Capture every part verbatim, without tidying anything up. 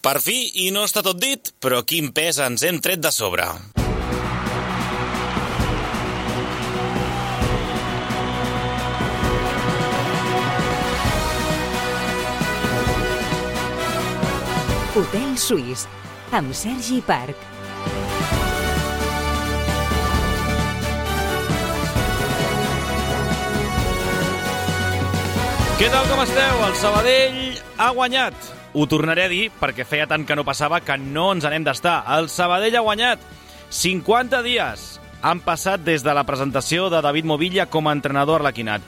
Per fi, i no està tot dit, però quin pes ens hem tret de sobre. Hotel Suís, amb Sergi Parc. Què tal, com esteu? El Sabadell ha guanyat. Ho tornaré a dir perquè feia tant que no passava que no ens n'hem d'estar. El Sabadell ha guanyat. cinquanta dies han passat des de la presentació de David Movilla com a entrenador arlequinat.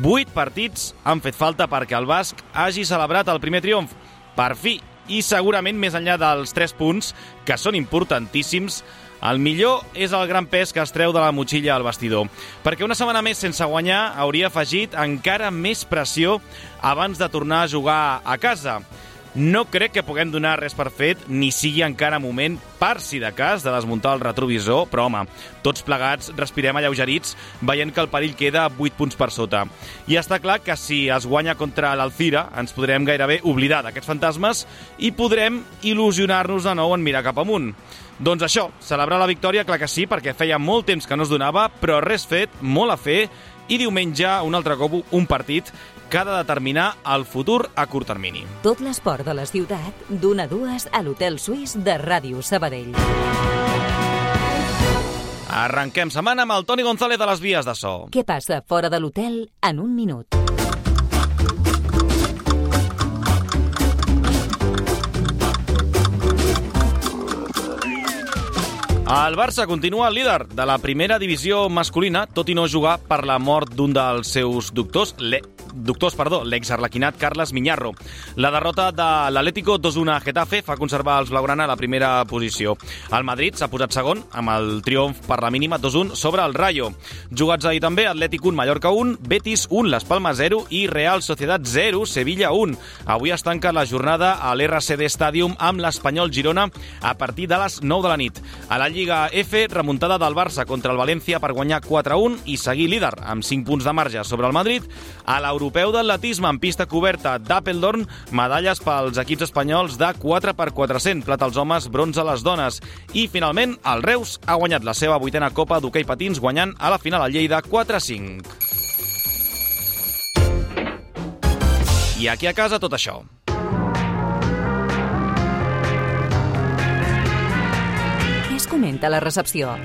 Vuit partits han fet falta perquè el basc hagi celebrat el primer triomf. Per fi, i segurament més enllà dels tres punts, que són importantíssims, el millor és el gran pes que es treu de la motxilla al vestidor, perquè una setmana més sense guanyar hauria afegit encara més pressió abans de tornar a jugar a casa. No crec que puguem donar res per fet, ni sigui encara moment, per si de cas, de desmuntar el retrovisor, però home, tots plegats respirem alleugerits veient que el perill queda a vuit punts per sota. I està clar que si es guanya contra l'Alcira ens podrem gairebé oblidar d'aquests fantasmes i podrem il·lusionar-nos de nou en mirar cap amunt. Doncs això, celebrar la victòria, clar que sí, perquè feia molt temps que no es donava, però res fet, molt a fer, i diumenge, un altre cop, un partit que ha de determinar el futur a curt termini. Tot l'esport de la ciutat, d'una a dues a l'Hotel Suís de Ràdio Sabadell. Arrenquem setmana amb el Toni González de les vies de so. Què passa fora de l'hotel en un minut? El Barça continua líder de la primera divisió masculina, tot i no jugar per la mort d'un dels seus doctors, le... doctors, perdó, l'exarlequinat Carles Miñarro. La derrota de l'Atlético dos a un a Getafe fa conservar els blaugrana a la primera posició. El Madrid s'ha posat segon amb el triomf per la mínima dos a un sobre el Rayo. Jugats ahir també, Atlètic un, Mallorca un, Betis un, Las Palmas zero i Real Sociedad zero, Sevilla un. Avui es tanca la jornada a l'R C D Stadium amb l'Espanyol Girona a partir de les nou de la nit. A la Lliga F, remuntada del Barça contra el València per guanyar quatre a un i seguir líder amb cinc punts de marge sobre el Madrid. A l'Europeu d'atletisme en pista coberta d'Apeldoorn, medalles pels equips espanyols de quatre per quatre-cents, plata als homes, bronze a les dones. I finalment, el Reus ha guanyat la seva vuitena Copa d'Hoquei Patins guanyant a la final a Lleida quatre a cinc. I aquí a casa tot això. Què es comenta a la recepció?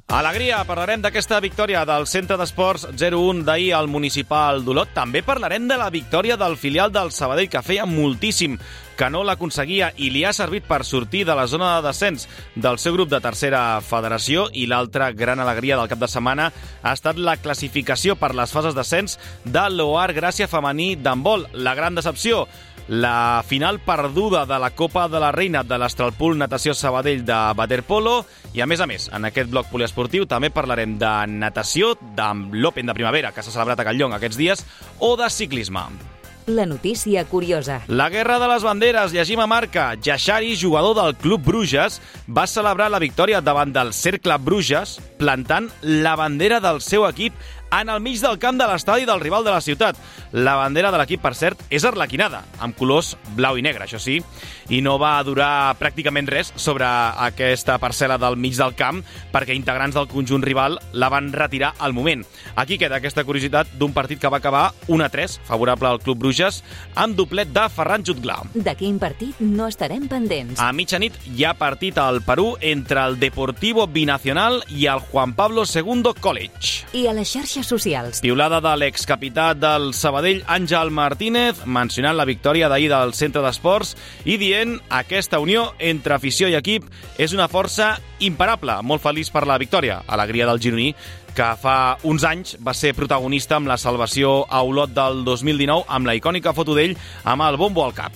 Alegria, parlarem d'aquesta victòria del Centre d'Esports zero a un d'ahir al Municipal d'Olot. També parlarem de la victòria del filial del Sabadell, que feia moltíssim que no l'aconseguia i li ha servit per sortir de la zona de descens del seu grup de tercera federació. I l'altra gran alegria del cap de setmana ha estat la classificació per les fases d'ascens de l'Oar Gràcia femení d'handbol. La gran decepció, la final perduda de la Copa de la Reina de l'Astralpool Natació Sabadell de waterpolo. I a més a més, en aquest bloc poliesportiu també parlarem de natació, de l'Open de primavera que s'ha celebrat a Catlllong aquests dies, o de ciclisme. La notícia curiosa. La guerra de les banderes, llegim a Marca. Yashari, jugador del Club Bruges, va celebrar la victòria davant del Cercle Bruges plantant la bandera del seu equip en el mig del camp de l'estadi del rival de la ciutat. La bandera de l'equip, per cert, és arlequinada, amb colors blau i negre, això sí, i no va durar pràcticament res sobre aquesta parcel·la del mig del camp, perquè integrants del conjunt rival la van retirar al moment. Aquí queda aquesta curiositat d'un partit que va acabar un a tres, favorable al Club Bruges, amb doblet de Ferran Jutgla. De quin partit no estarem pendents? A mitjanit hi ha partit al Perú entre el Deportivo Binacional i el Juan Pablo segundo College. I a les xarxes socials. Piulada de l'excapità del Sabadell, Àngel Martínez, mencionant la victòria d'ahir del Centre d'Esports i dient aquesta unió entre afició i equip és una força imparable. Molt feliç per la victòria. Alegria del gironí, que fa uns anys va ser protagonista amb la salvació a Olot del dos mil dinou amb la icònica foto d'ell amb el bombo al cap.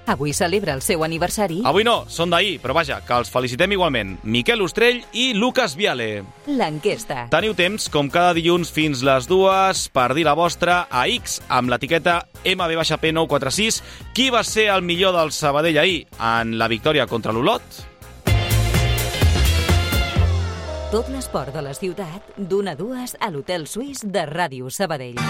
Avui celebra el seu aniversari. Avui no, són d'ahir, però vaja, que els felicitem igualment. Miquel Ostrell i Lucas Viale. L'enquesta. Teniu temps, com cada dilluns fins les dues, per dir la vostra a X amb l'etiqueta M B P nou quatre sis. Qui va ser el millor del Sabadell ahir en la victòria contra l'Olot? Tot l'esport de la ciutat, d'una a dues a l'Hotel Suís de Ràdio Sabadell.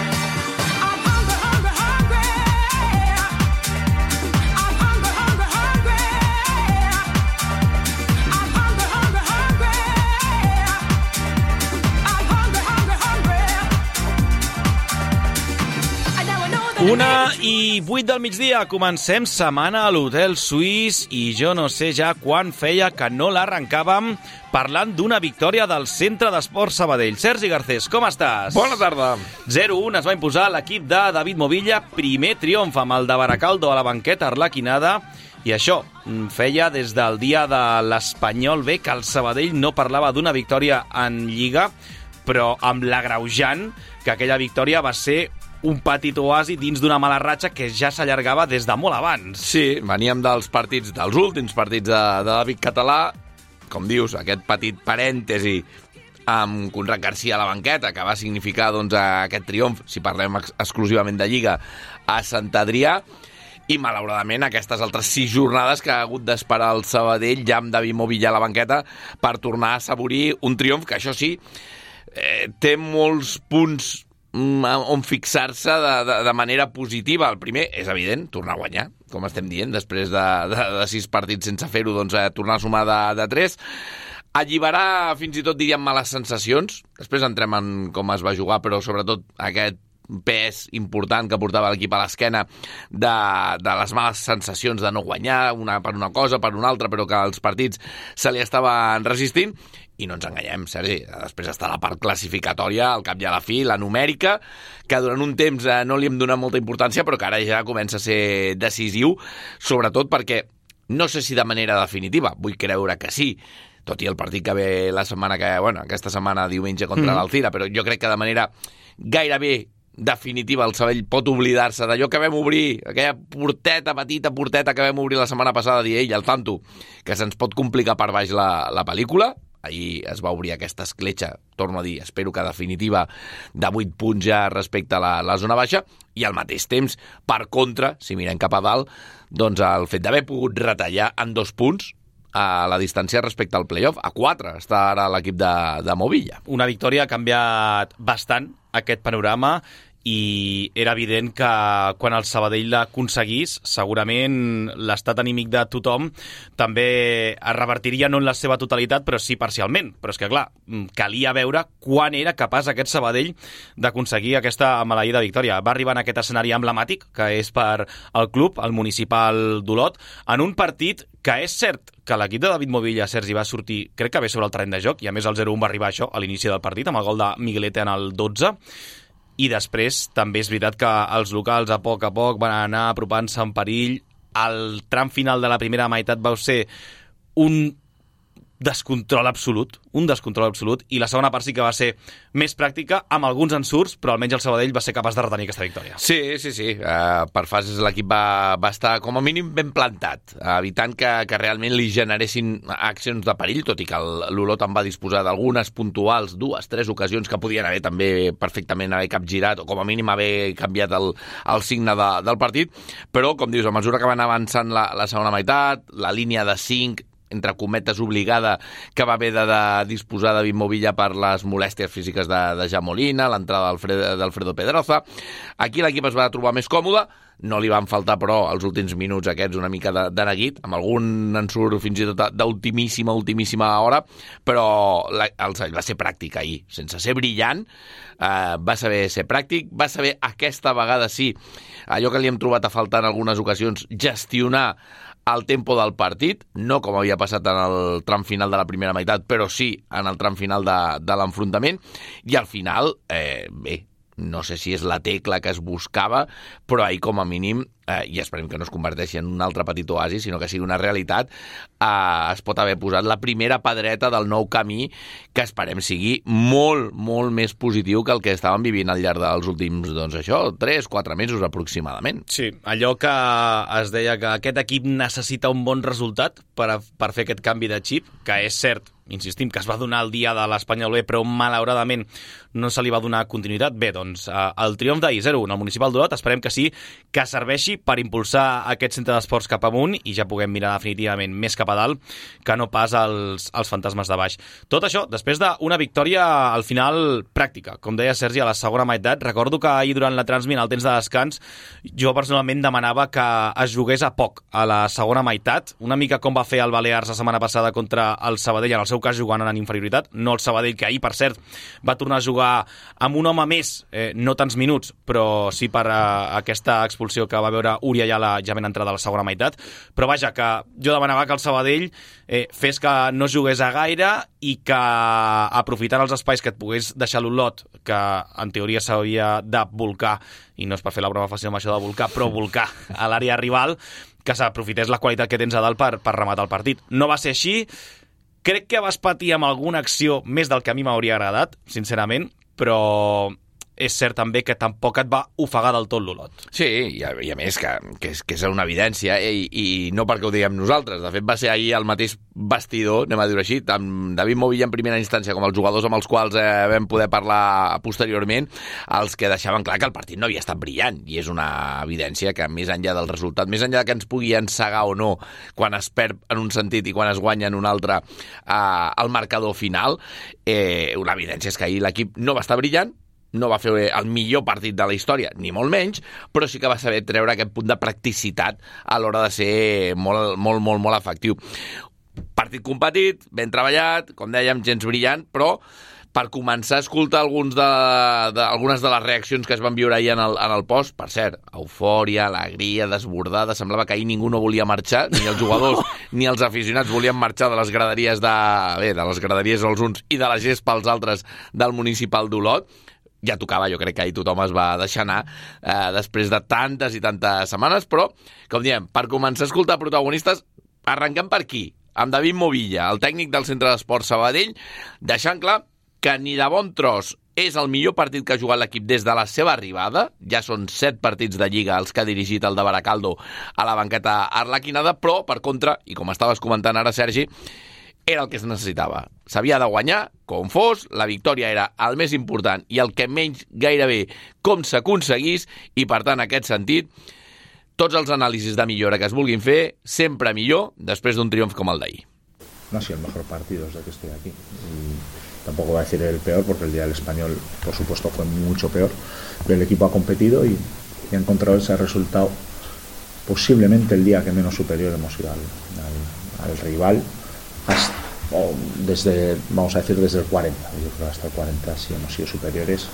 Una i vuit del migdia, comencem setmana a l'Hotel Suís i jo no sé ja quan feia que no l'arrencàvem parlant d'una victòria del Centre d'Esports Sabadell. Sergi Garcés, com estàs? Bona tarda. zero un es va imposar l'equip de David Movilla, primer triomf amb el de Baracaldo a la banqueta arlequinada, i això feia des del dia de l'Espanyol B que el Sabadell no parlava d'una victòria en Lliga, però amb l'agreujant que aquella victòria va ser un petit oasi dins d'una mala ratxa que ja s'allargava des de molt abans. Sí, veníem dels partits, dels últims partits de, de David Català, com dius, aquest petit parèntesi amb Conrad Garcia a la banqueta, que va significar doncs, aquest triomf, si parlem ex exclusivament de Lliga, a Sant Adrià, i malauradament aquestes altres sis jornades que ha hagut d'esperar el Sabadell ja amb David Movilla a la banqueta per tornar a assaborir un triomf que, això sí, eh, té molts punts on fixar-se de, de, de manera positiva. El primer, és evident, tornar a guanyar, com estem dient, després de, de, de sis partits sense fer-ho, doncs eh, tornar a sumar de, de tres. Alliberar, fins i tot diríem, males sensacions. Després entrem en com es va jugar, però sobretot aquest pes important que portava l'equip a l'esquena de, de les males sensacions de no guanyar, una per una cosa, per una altra, però que els partits se li estaven resistint. I no ens enganyem, Sergi, després està la part classificatòria, al cap i a la fi, la numèrica, que durant un temps eh, no li hem donat molta importància, però que ara ja comença a ser decisiu, sobretot perquè, no sé si de manera definitiva, vull creure que sí, tot i el partit que ve la setmana que, bueno, aquesta setmana diumenge contra mm. l'Alcira, però jo crec que de manera gairebé definitiva el Sabadell pot oblidar-se d'allò que vam obrir, aquella porteta, petita porteta que vam obrir la setmana passada, dir ell, al tanto, que se'ns pot complicar per baix la, la pel·lícula. Ahir es va obrir aquesta escletxa, torno a dir, espero que definitiva, de vuit punts ja respecte a la, la zona baixa, i al mateix temps, per contra, si mirem cap a dalt, doncs el fet d'haver pogut retallar en dos punts a la distància respecte al playoff, a quatre està ara l'equip de, de Movilla. Una victòria ha canviat bastant aquest panorama, i era evident que quan el Sabadell l'aconseguís, segurament l'estat anímic de tothom també es revertiria no en la seva totalitat, però sí parcialment. Però és que, clar, calia veure quan era capaç aquest Sabadell d'aconseguir aquesta maleïda victòria. Va arribar en aquest escenari emblemàtic, que és per al club, el municipal d'Olot, en un partit que és cert que l'equip de David Movilla, Sergi, va sortir, crec que bé sobre el terreny de joc, i a més el zero un va arribar això a l'inici del partit, amb el gol de Miguelete en el dotze, i després també és veritat que els locals a poc a poc van anar apropant-se en perill. El tram final de la primera meitat va ser un descontrol absolut, un descontrol absolut, i la segona part sí que va ser més pràctica, amb alguns ensurts, però almenys el Sabadell va ser capaç de retenir aquesta victòria. Sí, sí, sí. Uh, per fases l'equip va, va estar com a mínim ben plantat, uh, evitant que, que realment li generessin accions de perill, tot i que l'Olot en va disposar d'algunes puntuals, dues, tres ocasions que podien haver també perfectament haver capgirat, o com a mínim haver canviat el, el signe de, del partit, però, com dius, a mesura que van avançant la, la segona meitat, la línia de cinc, entre cometes obligada, que va haver de, de disposar David Movilla per les molèsties físiques de, de Jan Molina, l'entrada d'Alfredo Pedroza. Aquí l'equip es va trobar més còmode, no li van faltar, però, els últims minuts aquests una mica de, de neguit, amb algun ensurt fins i tot d'ultimíssima, ultimíssima hora, però la, el Sabadell va ser pràctic ahir, sense ser brillant, eh, va saber ser pràctic, va saber aquesta vegada sí, allò que li hem trobat a faltar en algunes ocasions, gestionar el tempo del partit, no com havia passat en el tram final de la primera meitat, però sí en el tram final de, de l'enfrontament, i al final, eh, bé, no sé si és la tecla que es buscava, però ahir com a mínim, eh, i esperem que no es converteixi en un altre petit oasi, sinó que sigui una realitat, eh, es pot haver posat la primera pedreta del nou camí, que esperem sigui molt, molt més positiu que el que estàvem vivint al llarg dels últims, doncs això, tres, quatre mesos aproximadament. Sí, allò que es deia que aquest equip necessita un bon resultat per, a, per fer aquest canvi de xip, que és cert, insistim, que es va donar el dia de l'Espanyol B, però malauradament no se li va donar continuïtat. Bé, doncs, el triomf d'ahir, zero un, al municipal d'Olot, esperem que sí, que serveixi per impulsar aquest centre d'esports cap amunt i ja puguem mirar definitivament més cap a dalt que no pas els, els fantasmes de baix. Tot això, després d'una victòria al final pràctica, com deia Sergi, a la segona meitat. Recordo que ahir durant la transmit, al temps de descans, jo personalment demanava que es jugués a poc a la segona meitat, una mica com va fer el Balears la setmana passada contra el Sabadell en el seu cas jugant en inferioritat, no el Sabadell, que ahir, per cert, va tornar a jugar amb un home més, eh, no tants minuts, però sí per eh, aquesta expulsió que va veure Uri Ayala ja ben entrada a la segona meitat. Però vaja, que jo demanava que el Sabadell eh, fes que no jugués a gaire i que aprofitant els espais que et pogués deixar l'Olot, que en teoria s'hauria de volcar, i no és per fer la broma fàcil amb això de volcar, però volcar a l'àrea rival, que s'aprofités la qualitat que tens a dalt per, per rematar el partit. No va ser així. Crec que vas patir amb alguna acció més del que a mi m'hauria agradat, sincerament, però és cert també que tampoc et va ofegar del tot l'Olot. Sí, i a, i a més que, que, és, que és una evidència, i, i no perquè ho diguem nosaltres. De fet, va ser ahir el mateix vestidor, anem a dir-ho així, tant David Movilla en primera instància com els jugadors amb els quals eh, vam poder parlar posteriorment, els que deixaven clar que el partit no havia estat brillant, i és una evidència que més enllà del resultat, més enllà que ens pugui encegar o no quan es perd en un sentit i quan es guanya en un altre eh, el marcador final, eh, una evidència és que ahir l'equip no va estar brillant, no va fer el millor partit de la història, ni molt menys, però sí que va saber treure aquest punt de practicitat a l'hora de ser molt, molt, molt, molt efectiu. Partit competit, ben treballat, com dèiem, gens brillant, però per començar a escoltar alguns de, de, algunes de les reaccions que es van viure ahir en el, en el post, per cert, eufòria, alegria, desbordada, semblava que ahir ningú no volia marxar, ni els jugadors ni els aficionats volien marxar de les graderies de, bé, de les graderies els uns i de la gespa els altres del municipal d'Olot. Ja tocava, jo crec que ahir tothom es va deixar anar eh, després de tantes i tantes setmanes, però, com diem, per començar a escoltar protagonistes, arrencant per aquí, amb David Movilla, el tècnic del Centre d'Esports Sabadell, deixant clar que ni de bon tros és el millor partit que ha jugat l'equip des de la seva arribada, ja són set partits de Lliga els que ha dirigit el de Baracaldo a la banqueta arlequinada, però, per contra, i com estaves comentant ara, Sergi, era el que es necessitava. S'havia de guanyar, com fos, la victòria era el més important i el que menys gairebé com s'aconseguís, i per tant, en aquest sentit, tots els anàlisis de millora que es vulguin fer, sempre millor després d'un triomf com el d'ahir. No ha sido el mejor partido desde que estoy aquí. Y tampoco voy a decir el peor, porque el día del Español, por supuesto, fue mucho peor. Pero el equipo ha competido y, y ha encontrado ese resultado posiblemente el día que menos superior hemos ido al, al, al rival. Hasta, o desde, vamos a decir, desde el cuarenta. Yo creo que hasta el cuarenta sí hemos sido superiores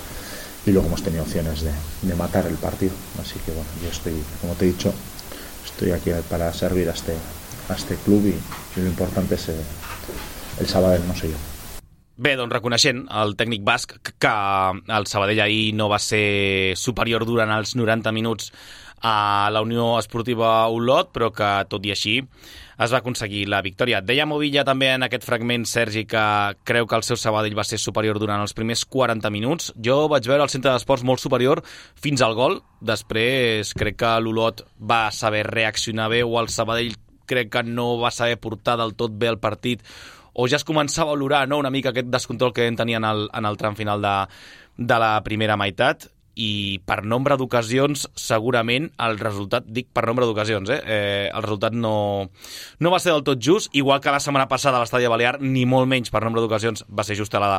y luego hemos tenido opciones de, de matar el partido. Así que bueno, yo estoy, como te he dicho, estoy aquí para servir a este, a este club y, y lo importante es el, el Sabadell, no sé jo. Bé, doncs reconeixent el tècnic basc que el Sabadell ahir no va ser superior durant els noranta minuts a la Unió Esportiva Olot, però que tot i així es va aconseguir la victòria. Deia Movilla també en aquest fragment, Sergi, que creu que el seu Sabadell va ser superior durant els primers quaranta minuts. Jo vaig veure el Centre d'Esports molt superior fins al gol. Després crec que l'Olot va saber reaccionar bé, o el Sabadell crec que no va saber portar del tot bé el partit, o ja es començava a olorar, no?, una mica aquest descontrol que en tenia en el, en el tram final de, de la primera meitat. I per nombre d'ocasions, segurament, el resultat, dic per nombre d'ocasions, eh? eh el resultat no, no va ser del tot just, igual que la setmana passada a l'Estadi Balear, ni molt menys per nombre d'ocasions va ser justa la,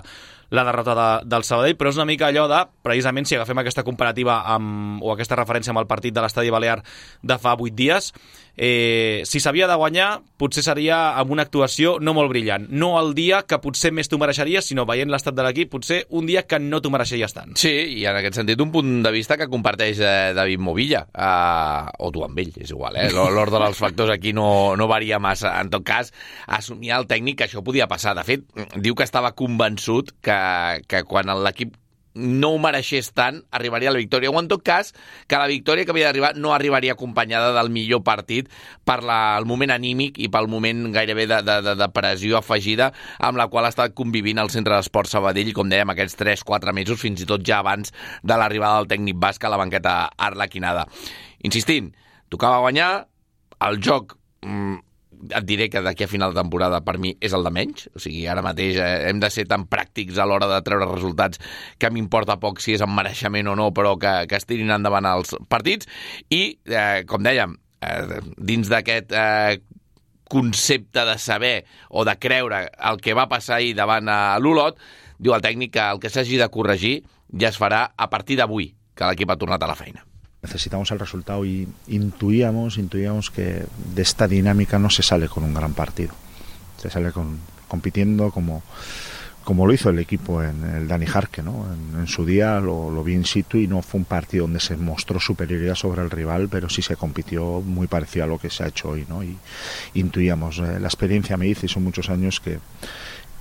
la derrota de, del Sabadell, però és una mica allò de, precisament, si agafem aquesta comparativa amb, o aquesta referència amb el partit de l'Estadi Balear de fa vuit dies, eh, si s'havia de guanyar, potser seria amb una actuació no molt brillant. No el dia que potser més t'ho mereixeries, sinó veient l'estat de l'equip, potser un dia que no t'ho mereixeries tant. Sí, i en aquest sentit un punt de vista que comparteix eh, David Movilla, eh, o tu amb ell, és igual, eh? L'ordre dels factors aquí no, no varia massa. En tot cas, assumia el tècnic que això podia passar. De fet, diu que estava convençut que, que quan l'equip no ho mereixés tant, arribaria a la victòria, o en tot cas, que la victòria que havia d'arribar no arribaria acompanyada del millor partit per la, el moment anímic i pel moment gairebé de, de, de pressió afegida amb la qual ha estat convivint el Centre d'Esports Sabadell, com dèiem, aquests tres quatre mesos, fins i tot ja abans de l'arribada del tècnic basc a la banqueta arlequinada. Insistint, tocava guanyar, el joc mmm, et diré que d'aquí a final de temporada per mi és el de menys, o sigui, ara mateix eh, hem de ser tan pràctics a l'hora de treure resultats que m'importa poc si és en mereixement o no, però que, que es tirin endavant els partits. I, eh, com dèiem, eh, dins d'aquest eh, concepte de saber o de creure el que va passar ahir davant a l'Olot, diu el tècnic que el que s'hagi de corregir ja es farà a partir d'avui, que l'equip ha tornat a la feina. Necesitamos el resultado y intuíamos, intuíamos que de esta dinámica no se sale con un gran partido. Se sale con, compitiendo como, como lo hizo el equipo en el Dani Jarque, ¿no? En, en su día lo, lo vi in situ y no fue un partido donde se mostró superioridad sobre el rival, pero sí se compitió muy parecido a lo que se ha hecho hoy, ¿no? Y intuíamos, eh, la experiencia me dice, y son muchos años que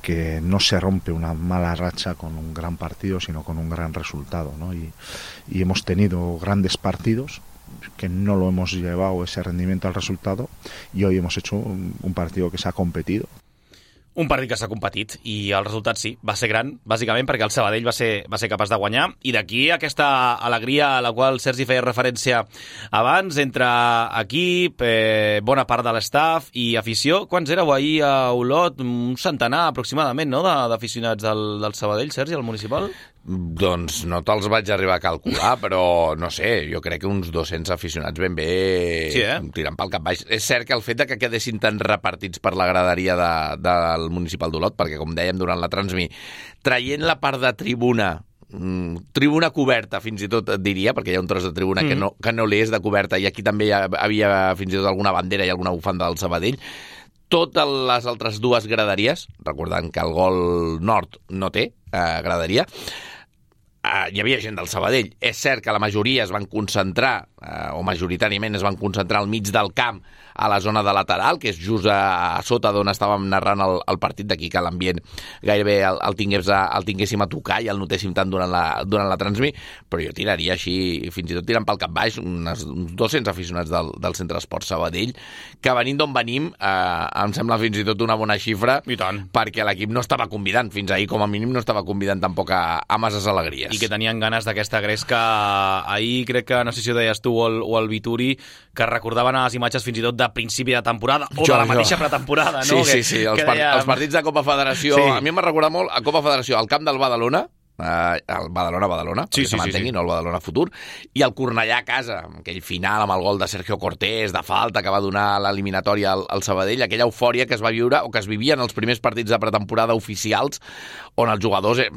que no se rompe una mala racha con un gran partido, sino con un gran resultado, ¿no? Y, y hemos tenido grandes partidos que no lo hemos llevado ese rendimiento al resultado, y hoy hemos hecho un, un partido que s'ha competido. Un partit que s'ha competit i el resultat sí, va ser gran, bàsicament perquè el Sabadell va ser, va ser capaç de guanyar, i d'aquí aquesta alegria a la qual Sergi feia referència abans, entre equip, eh, bona part de l'estaf i afició. Quants éreu ahir a Olot? Un centenar aproximadament, no?, d'aficionats del, del Sabadell, Sergi, al municipal? Doncs no te'ls vaig arribar a calcular, però no sé, jo crec que uns dos-cents aficionats ben bé sí, eh? tirant pel cap baix. És cert que el fet de que quedessin tan repartits per la graderia de, del municipal d'Olot, perquè com dèiem durant la transmi, traient la part de tribuna, mm, tribuna coberta fins i tot et diria, perquè hi ha un tros de tribuna mm. que, no, que no li és de coberta, i aquí també hi havia fins i tot alguna bandera i alguna bufanda del Sabadell. Totes les altres dues graderies, recordant que el gol nord no té eh, graderia, Uh, hi havia gent del Sabadell. És cert que la majoria es van concentrar, uh, o majoritàriament es van concentrar al mig del camp, a la zona de lateral, que és just a, a sota d'on estàvem narrant el, el partit, d'aquí que l'ambient gairebé el, el, tingués a, el tinguéssim a tocar i el notéssim tant durant la, durant la transmi, però jo tiraria així, fins i tot tirant pel cap baix, unes, uns dos-cents aficionats del, del Centre Esport Sabadell, que venint d'on venim, eh, em sembla fins i tot una bona xifra, i tant, perquè l'equip no estava convidant, fins ahir com a mínim no estava convidant tampoc a, a masses alegries. I que tenien ganes d'aquesta gresca. Ahir crec que, no sé si ho deies tu o el, o el Vituri, que recordaven a les imatges fins i tot de principi de temporada, o jo, de la mateixa jo. pretemporada, no? Sí, sí, sí, els, par deia... els partits de Copa Federació, sí. A mi m'ha recordat molt a Copa Federació, al camp del Badalona, Uh, el Badalona-Badalona, sí, perquè sí, se mantengui, sí, sí. no el Badalona futur, i el Cornellà a casa, aquell final amb el gol de Sergio Cortés, de falta, que va donar l'eliminatòria al, al Sabadell, aquella eufòria que es va viure, o que es vivia en els primers partits de pretemporada oficials, on els jugadors eh,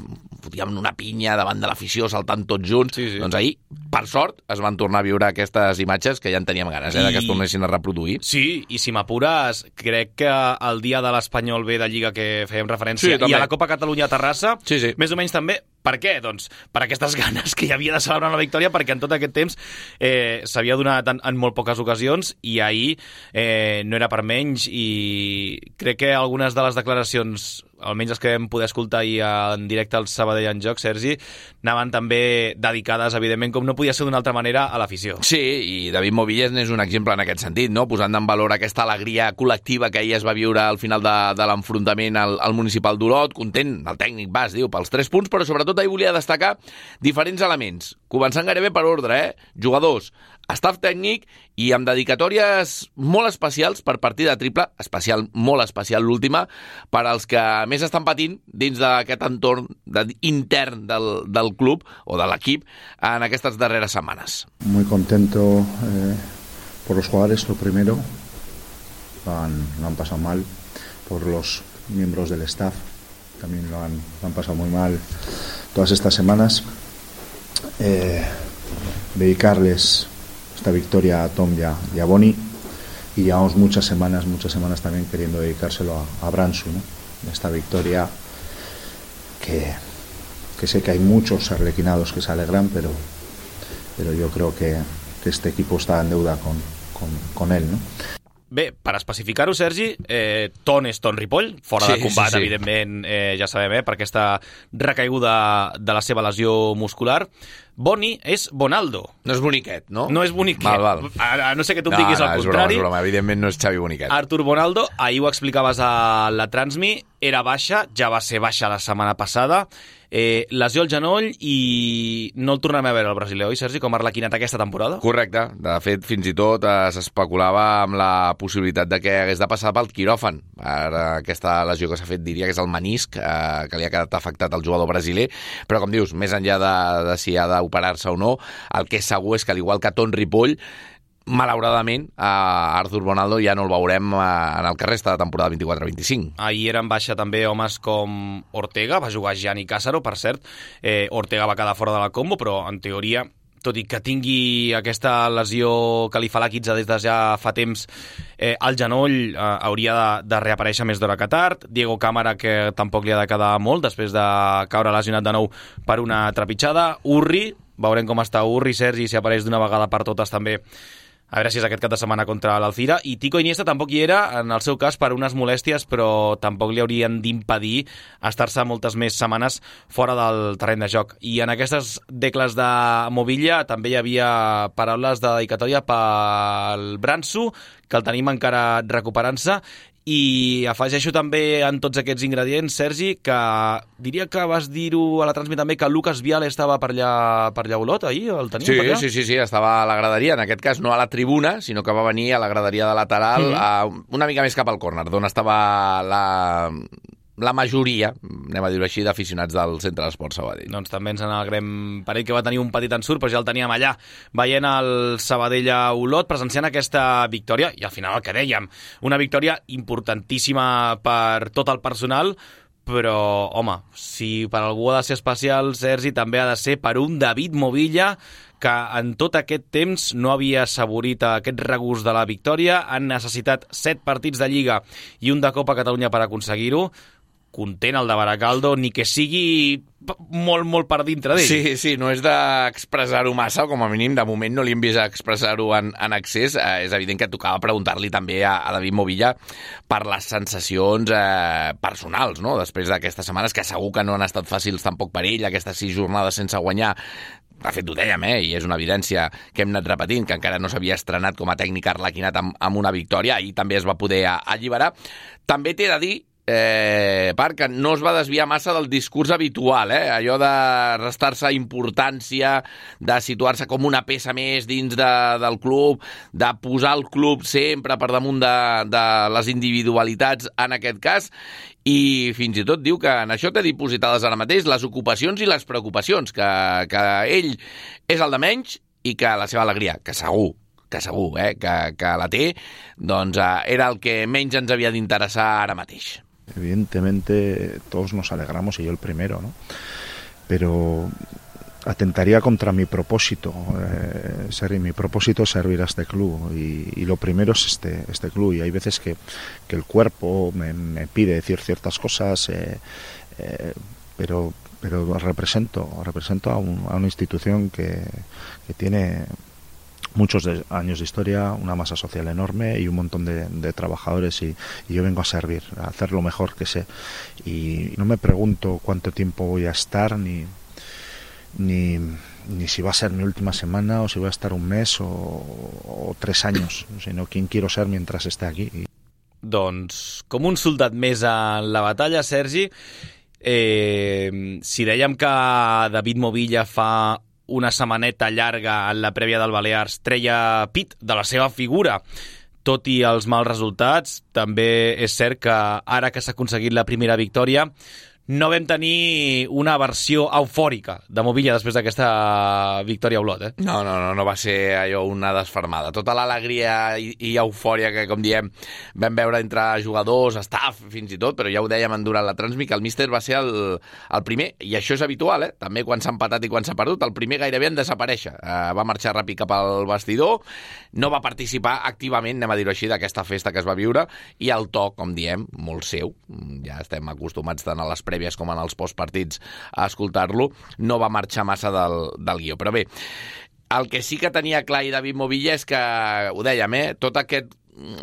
fotíem una pinya davant de l'afició, saltant tots junts. Sí, sí. Doncs ahir, per sort, es van tornar a viure aquestes imatges que ja en teníem ganes, eh, I... que es tornessin a reproduir. Sí, i si m'apures, crec que el dia de l'Espanyol B de Lliga que fèiem referència, sí, i a la Copa Catalunya a Terrassa, sí, sí. més o menys també. Per què? Doncs per aquestes ganes que hi havia de celebrar una victòria, perquè en tot aquest temps eh, s'havia donat en, en molt poques ocasions, i ahir eh, no era per menys, i crec que algunes de les declaracions, almenys les que vam poder escoltar ahir en directe al Sabadell en Joc, Sergi, anaven també dedicades, evidentment, com no podia ser d'una altra manera, a l'afició. Sí, i David Movilles n'és un exemple en aquest sentit, no? Posant en valor aquesta alegria col·lectiva que ahir es va viure al final de, de l'enfrontament al, al municipal d'Olot, content, el tècnic Bas, diu, pels tres punts, però sobretot ahir volia destacar diferents elements, començant gairebé per ordre, eh? Jugadors, staff tècnic, i amb dedicatòries molt especials per partida triple, especial, molt especial l'última, per als que més estan patint dins d'aquest entorn de, intern del, del club o de l'equip en aquestes darreres setmanes. Muy contento eh, por los jugadores, lo primero, lo han, lo han pasado mal, por los miembros del staff, también lo han, lo han pasado muy mal todas estas semanas. Eh, dedicarles esta victoria a Tom y a, y a Boni, y llevamos muchas semanas, muchas semanas también queriendo dedicárselo a, a Bransu, ¿no? Esta victoria que, que sé que hay muchos arlequinados que se alegran, pero, pero yo creo que, que este equipo está en deuda con, con, con él, ¿no? Bé, per especificar-ho, Sergi, eh, Ton és Ton Ripoll, fora sí, de combat, sí, sí. evidentment, eh, ja sabem, eh, per aquesta recaiguda de la seva lesió muscular. Boni és Bonaldo. No és Boniquet, no? No és Boniquet. Val, val. A, a no sé que tu em no, diguis no, el és contrari. Broma, és broma. Evidentment no és Xavi Boniquet. Artur Bonaldo, ahir ho explicaves a la transmi, era baixa, ja va ser baixa la setmana passada, eh, lesió al genoll i no el tornem a veure al brasiler, oi, Sergi, com a arlequinat aquesta temporada? Correcte. De fet, fins i tot eh, s'especulava amb la possibilitat de que hagués de passar pel quiròfan. Ara, aquesta lesió que s'ha fet diria que és el menisc, eh, que li ha quedat afectat al jugador brasiler, però com dius, més enllà de, de si ha d'operar-se o no, el que és segur és que, al igual que Ton Ripoll, malauradament, a Artur Bonaldo ja no el veurem en el que resta de temporada vint-i-quatre vint-i-cinc. Ahir eren baixa també homes com Ortega, va jugar Gianni Cásaro, per cert. Eh, Ortega va quedar fora de la combo, però en teoria tot i que tingui aquesta lesió que li fa la quitze des de ja fa temps eh, al genoll, eh, hauria de, de reaparèixer més d'hora que tard. Diego Cámara, que tampoc li ha de quedar molt després de caure lesionat de nou per una trepitjada. Urri, veurem com està Urri, Sergi, si apareix d'una vegada per totes també, a veure si és aquest cap de setmana contra l'Alcira. I Tico Iniesta tampoc hi era, en el seu cas, per unes molèsties, però tampoc li haurien d'impedir estar-se moltes més setmanes fora del terreny de joc. I en aquestes decles de Movilla també hi havia paraules de dedicatòria pel Branso, que el tenim encara recuperant-se. I afegeixo també en tots aquests ingredients, Sergi, que diria que vas dir-ho a la transmit també, que Lucas Viale estava per allà, per allà a Olot, ahir? El teníem sí, per allà? Sí, sí, sí, estava a la graderia, en aquest cas no a la tribuna, sinó que va venir a la graderia de lateral, mm-hmm. a, una mica més cap al córner, d'on estava la... la majoria, anem a dir-ho així, d'aficionats del Centre d'Esport Sabadell. Doncs també ens n'alegrem per ell, que va tenir un petit ensurt, però ja el teníem allà veient el Sabadell a Olot, presenciant aquesta victòria, i al final el que dèiem, una victòria importantíssima per tot el personal, però, home, si per algú ha de ser especial, Sergi, també ha de ser per un David Movilla, que en tot aquest temps no havia assaborit aquest regust de la victòria. Han necessitat set partits de Lliga i un de Copa Catalunya per aconseguir-ho. Content el de Baracaldo, ni que sigui molt, molt per dintre d'ell. Sí, sí, no és d'expressar-ho massa, o com a mínim, de moment no li hem vist expressar-ho en, en accés. Eh, és evident que tocava preguntar-li també a, a David Movilla per les sensacions eh, personals, no?, després d'aquestes setmanes, que segur que no han estat fàcils tampoc per ell, aquestes sis jornades sense guanyar. De fet, ho dèiem, eh? I és una evidència que hem anat repetint, que encara no s'havia estrenat com a tècnic arlequinat amb, amb una victòria, i també es va poder alliberar. També t'he de dir, eh, Parc, que no es va desviar massa del discurs habitual, eh? Allò de restar-se importància, de situar-se com una peça més dins de, del club, de posar el club sempre per damunt de, de les individualitats en aquest cas, i fins i tot diu que en això té dipositades ara mateix les ocupacions i les preocupacions, que, que ell és el de menys i que la seva alegria, que segur, que segur, eh, que, que la té, doncs eh, era el que menys ens havia d'interessar ara mateix. Evidentemente todos nos alegramos, y yo el primero, ¿no? Pero atentaría contra mi propósito, eh, ser, mi propósito es servir a este club, y, y lo primero es este, este club, y hay veces que, que el cuerpo me, me pide decir ciertas cosas, eh, eh, pero, pero represento, represento a, un, a una institución que, que tiene muchos de, años de historia, una masa social enorme y un montón de, de trabajadores, y, y yo vengo a servir, a hacer lo mejor que sé, y no me pregunto cuánto tiempo voy a estar, ni Ni, ni si va a ser mi última semana, o si voy a estar un mes o, o tres años, sino quién quiero ser mientras esté aquí. Doncs, com un soldat més en la batalla, Sergi, eh, si dèiem que David Movilla fa una setmaneta llarga en la prèvia del Balears treia pit de la seva figura, tot i els mals resultats, també és cert que ara que s'ha aconseguit la primera victòria, no vam tenir una versió eufòrica de Movilla després d'aquesta victòria a Olot, eh? No, no, no, no va ser allò una desfermada. Tota l'alegria i, i eufòria que, com diem, vam veure entre jugadors, staff, fins i tot, però ja ho dèiem durant la transmit, que el míster va ser el, el primer, i això és habitual, eh? També quan s'ha empatat i quan s'ha perdut, el primer gairebé en desaparèixer. Uh, va marxar ràpid cap al vestidor, no va participar activament, anem a dir-ho així, d'aquesta festa que es va viure, i el to, com diem, molt seu, ja estem acostumats tant a les prèvies com en els postpartits a escoltar-lo, no va marxar massa del, del guió. Però bé, el que sí que tenia clar i David Movilla és que, ho dèiem, eh, tot aquest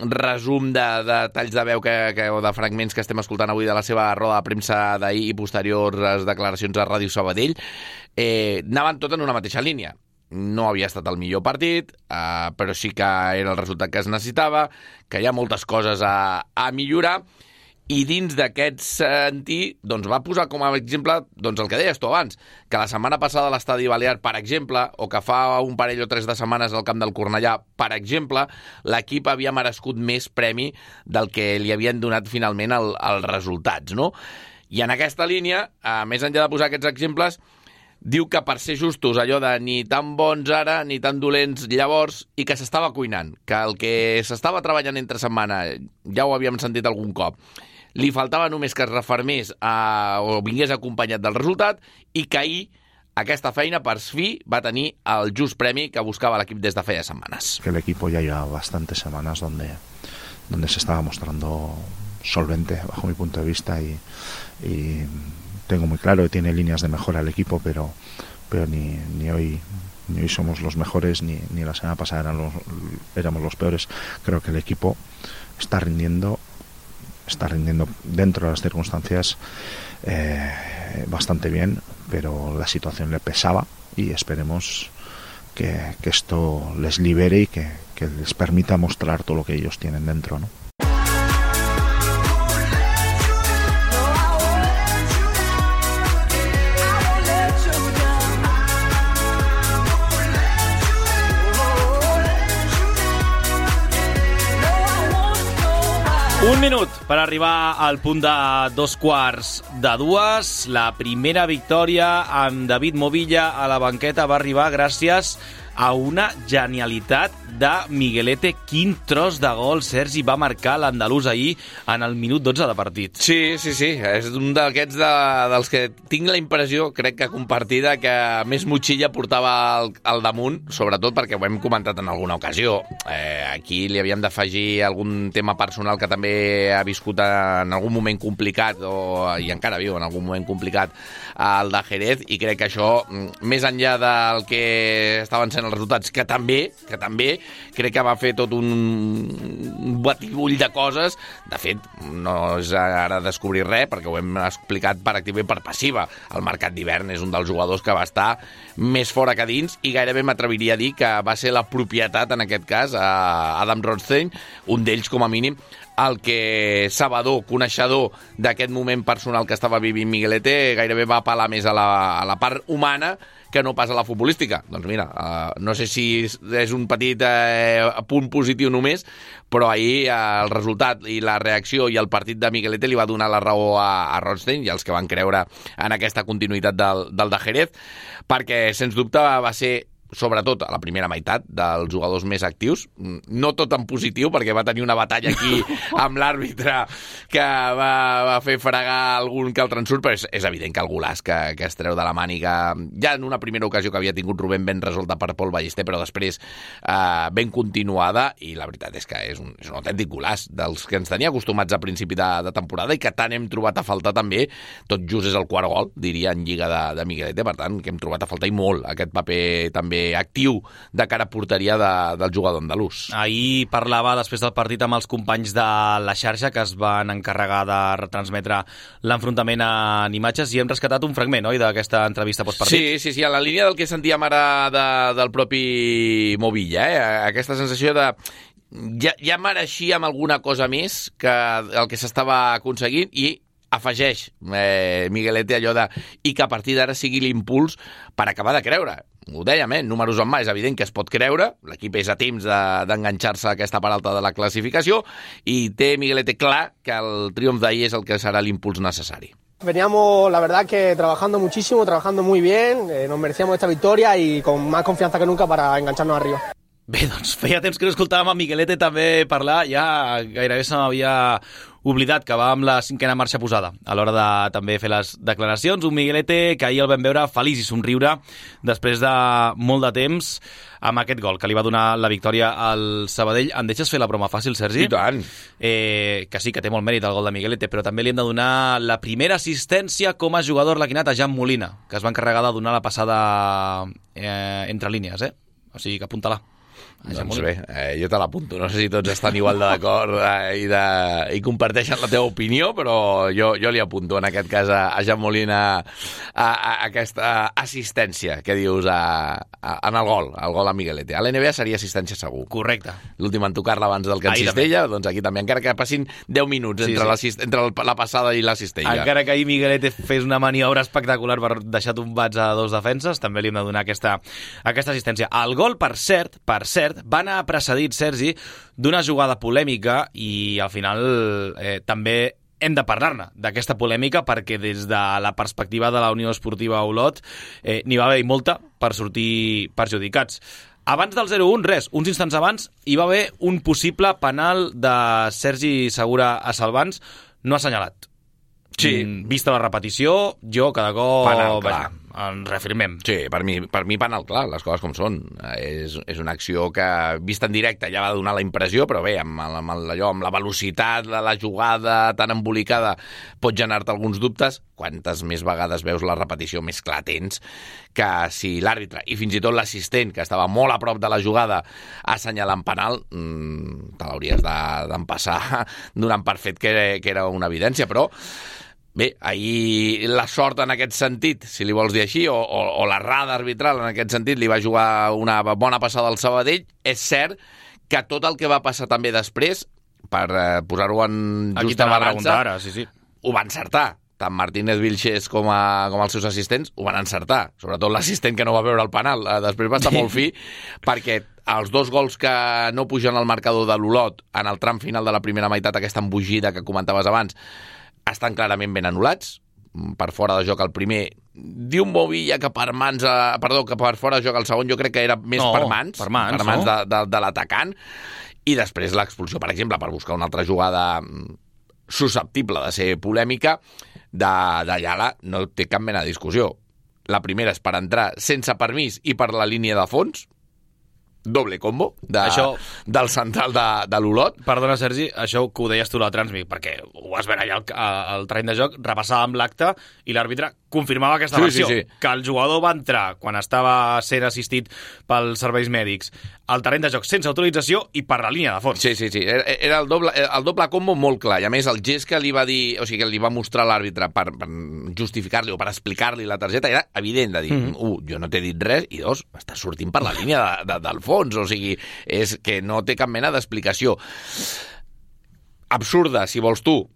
resum de, de talls de veu que, que, o de fragments que estem escoltant avui de la seva roda de premsa d'ahir i posteriors declaracions a Ràdio Sabadell, eh, anaven tot en una mateixa línia. No havia estat el millor partit, eh, però sí que era el resultat que es necessitava, que hi ha moltes coses a, a millorar, i dins d'aquest sentit doncs va posar com a exemple doncs el que deies tu abans, que la setmana passada a l'Estadi Balear, per exemple, o que fa un parell o tres de setmanes al camp del Cornellà, per exemple, l'equip havia merescut més premi del que li havien donat finalment el, els resultats, no? I en aquesta línia, a més enllà de posar aquests exemples, diu que per ser justos, allò de ni tan bons ara ni tan dolents llavors, i que s'estava cuinant, que el que s'estava treballant entre setmana, ja ho havíem sentit algun cop, li faltava només que es refermés a, o vingués acompanyat del resultat, i que ahir aquesta feina per fi va tenir el just premi que buscava l'equip des de feia setmanes. Que el equipo ya lleva bastantes semanas donde, donde se estaba mostrando solvente bajo mi punto de vista y, y tengo muy claro que tiene líneas de mejora el equipo, pero, pero ni, ni hoy ni hoy somos los mejores, ni, ni la semana pasada eran los, éramos los peores. Creo que el equipo está rindiendo está rindiendo dentro de las circunstancias eh, bastante bien, pero la situación le pesaba y esperemos que, que esto les libere y que, que les permita mostrar todo lo que ellos tienen dentro, ¿no? Un minut per arribar al punt de dos quarts de dues. La primera victòria amb David Movilla a la banqueta va arribar gràcies a una genialitat de Miguelete. Quin tros de gol, Sergi, va marcar l'andalús ahir en el minut dotze de partit. Sí, sí, sí. És un d'aquests de, dels que tinc la impressió, crec que compartida, que més motxilla portava al, al damunt, sobretot perquè ho hem comentat en alguna ocasió. Eh, aquí li havíem d'afegir algun tema personal que també ha viscut en algun moment complicat, o, i encara viu en algun moment complicat, el de Jerez, i crec que això, més enllà del que estaven sent els resultats, que també, que també crec que va fer tot un batibull de coses. De fet, no és ara descobrir res, perquè ho hem explicat per activa i per passiva. El mercat d'hivern és un dels jugadors que va estar més fora que dins, i gairebé m'atreviria a dir que va ser la propietat, en aquest cas, a Adam Rothstein, un d'ells com a mínim, el que sabedor, coneixedor d'aquest moment personal que estava vivint Miguelete, gairebé va apel·lar més a la, a la part humana que no pas a la futbolística. Doncs mira, uh, no sé si és un petit uh, punt positiu només, però ahir uh, el resultat i la reacció i el partit de Miguelete li va donar la raó a, a Rothstein i als que van creure en aquesta continuïtat del, del de Jerez, perquè, sens dubte, va ser, sobretot a la primera meitat, dels jugadors més actius, no tot en positiu, perquè va tenir una batalla aquí amb l'àrbitre que va, va fer fregar algun que altre ensurt, però és, és evident que el golaç que, que es treu de la màniga, ja en una primera ocasió que havia tingut Rubén ben resolta per Pol Ballester, però després eh, ben continuada, i la veritat és que és un, és un autèntic golaç dels que ens tenia acostumats a principi de, de temporada i que tant hem trobat a faltar també. Tot just és el quart gol, diria, en Lliga de, de Miguelete, per tant, que hem trobat a faltar i molt aquest paper també actiu de cara a porteria de, del jugador andalús. Ahir parlava després del partit amb els companys de la xarxa que es van encarregar de retransmetre l'enfrontament en imatges, i hem rescatat un fragment, oi, d'aquesta entrevista postpartit? Sí, sí, sí, a la línia del que sentíem ara de, del propi Movilla, eh? Aquesta sensació de ja, ja mereixíem alguna cosa més que el que s'estava aconseguint, i afegeix eh, Miguelete allò de i que a partir d'ara sigui l'impuls per acabar de creure. Ho dèiem, eh? Números en mà, és evident que es pot creure, l'equip és a temps d'enganxar-se de, a aquesta part alta de la classificació, i té Miguelete clar que el triomf d'ahir és el que serà l'impuls necessari. Veníamos, la verdad, que trabajando muchísimo, trabajando muy bien, eh, nos merecíamos esta victoria y con más confianza que nunca para engancharnos arriba. Bé, doncs feia temps que no escoltàvem a Miguelete també parlar, ja gairebé se m'havia oblidat que va amb la cinquena marxa posada a l'hora de també fer les declaracions. Un Miguelete que ahir el vam veure feliç i somriure després de molt de temps amb aquest gol que li va donar la victòria al Sabadell. Em deixes fer la broma fàcil, Sergi? I tant. Eh, que sí, que té molt mèrit el gol de Miguelete, però també li hem de donar la primera assistència com a jugador laquinat a Jan Molina, que es va encarregar de donar la passada eh, entre línies, eh? O sigui que apunta-la. Doncs bé, eh, jo te l'apunto. No sé si tots estan igual d'acord eh, i, de, i comparteixen la teva opinió, però jo, jo li apunto en aquest cas a, a Jan Molina a, a, a aquesta assistència que dius a, a, en el gol, el gol a Miguelete. A l'N B A seria assistència segur. Correcte. L'últim en tocar-la abans del que en Cistella, doncs aquí també, encara que passin deu minuts sí, entre, sí. entre la passada i la Cistella. Encara que ahir Miguelete fes una maniobra espectacular per deixar tombats a dos defenses, també li hem de donar aquesta, aquesta assistència. El gol, per cert, per cert, va anar precedit, Sergi, d'una jugada polèmica, i al final eh, també hem de parlar-ne d'aquesta polèmica, perquè des de la perspectiva de la Unió Esportiva Olot eh, n'hi va haver molta per sortir perjudicats. Abans del zero un, res, uns instants abans hi va haver un possible penal de Sergi Segura a Salvans, no assenyalat. Sí. Vista la repetició, jo cada cop... Penal, clar. ens reafirmem. Sí, per mi, per mi penal clar, les coses com són. És, és una acció que, vista en directe, ja va donar la impressió, però bé, amb, amb, allò, amb la velocitat de la jugada tan embolicada pot generar-te alguns dubtes. Quantes més vegades veus la repetició, més clar tens que si l'àrbitre i fins i tot l'assistent, que estava molt a prop de la jugada, assenyalant penal, mmm, te l'hauries d'empassar donant per fet que, que era una evidència, però bé, ahir la sort en aquest sentit, si li vols dir així, o, o, o l'errada arbitral en aquest sentit, li va jugar una bona passada al Sabadell. És cert que tot el que va passar també després, per eh, posar-ho en justa balança, ara, sí, sí. ho va encertar. Tant Martínez Vilches com, a, com els seus assistents ho van encertar. Sobretot l'assistent que no va veure el penal. Després va estar molt fi, perquè els dos gols que no pugen al marcador de l'Olot en el tram final de la primera meitat, aquesta embogida que comentaves abans, estan clarament ben anul·lats. Per fora de joc el primer, diu un Movilla que per mans, eh, perdó, que per fora de joc el segon, jo crec que era més no, per mans, per mans, per mans no? de, de, de l'atacant. I després l'expulsió, per exemple, per buscar una altra jugada susceptible de ser polèmica, de, de Ayala, no té cap mena de discussió. La primera és per entrar sense permís i per la línia de fons, doble combo de, això, del central de, de l'Olot. Perdona, Sergi, això que ho deies tu a la Transmit, perquè ho vas veure allà al, al terreny de joc, repassàvem l'acte i l'àrbitre confirmava aquesta sí, versió, sí, sí. que el jugador va entrar quan estava sent assistit pels serveis mèdics al terreny de joc sense autorització i per la línia de fons. Sí, sí, sí. Era el doble, el doble combo molt clar. I a més, el gest que li va dir, o sigui, que li va mostrar l'àrbitre per, per justificar-li o per explicar-li la targeta era evident de dir, mm -hmm. un, jo no t'he dit res, i dos, està sortint per la línia de, de, del fons. O sigui, és que no té cap mena d'explicació. Absurda, si vols tu,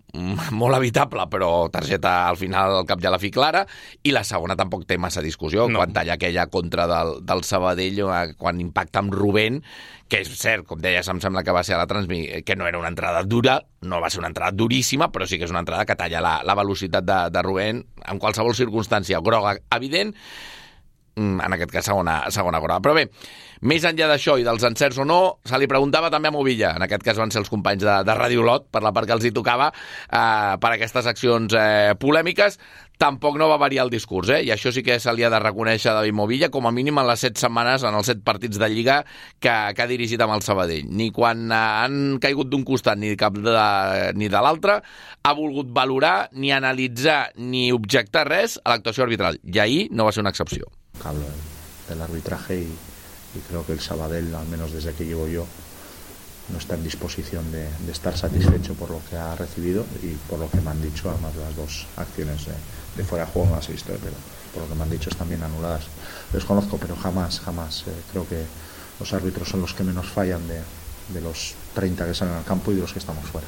molt evitable, però targeta al final al cap ja la fi clara, i la segona tampoc té massa discussió, no. Quan talla aquella contra del, del Sabadell, quan impacta amb Rubén, que és cert, com deies, em sembla que va ser a la Transmit, que no era una entrada dura, no va ser una entrada duríssima, però sí que és una entrada que talla la, la velocitat de, de Rubén, en qualsevol circumstància groga evident, en aquest cas segona, segona groga. Però bé, més enllà d'això i dels encerts o no, se li preguntava també a Movilla, en aquest cas van ser els companys de, de Ràdio Olot, per la part que els hi tocava, eh, per aquestes accions eh, polèmiques. Tampoc no va variar el discurs, eh? I això sí que se li ha de reconèixer a David Movilla, com a mínim en les set setmanes, en els set partits de Lliga que, que ha dirigit amb el Sabadell. Ni quan han caigut d'un costat ni, cap de, ni de l'altre ha volgut valorar, ni analitzar, ni objectar res a l'actuació arbitral. I ahir no va ser una excepció. Hablo del arbitraje y, y creo que el Sabadell, al menos desde que llego yo, no está en disposición de, de estar satisfecho por lo que ha recibido y por lo que me han dicho, además de las dos acciones de, de fuera de juego no las he visto, pero por lo que me han dicho están bien anuladas. Desconozco, pero jamás, jamás eh, creo que los árbitros son los que menos fallan de, de los treinta que salen al campo y de los que estamos fuera.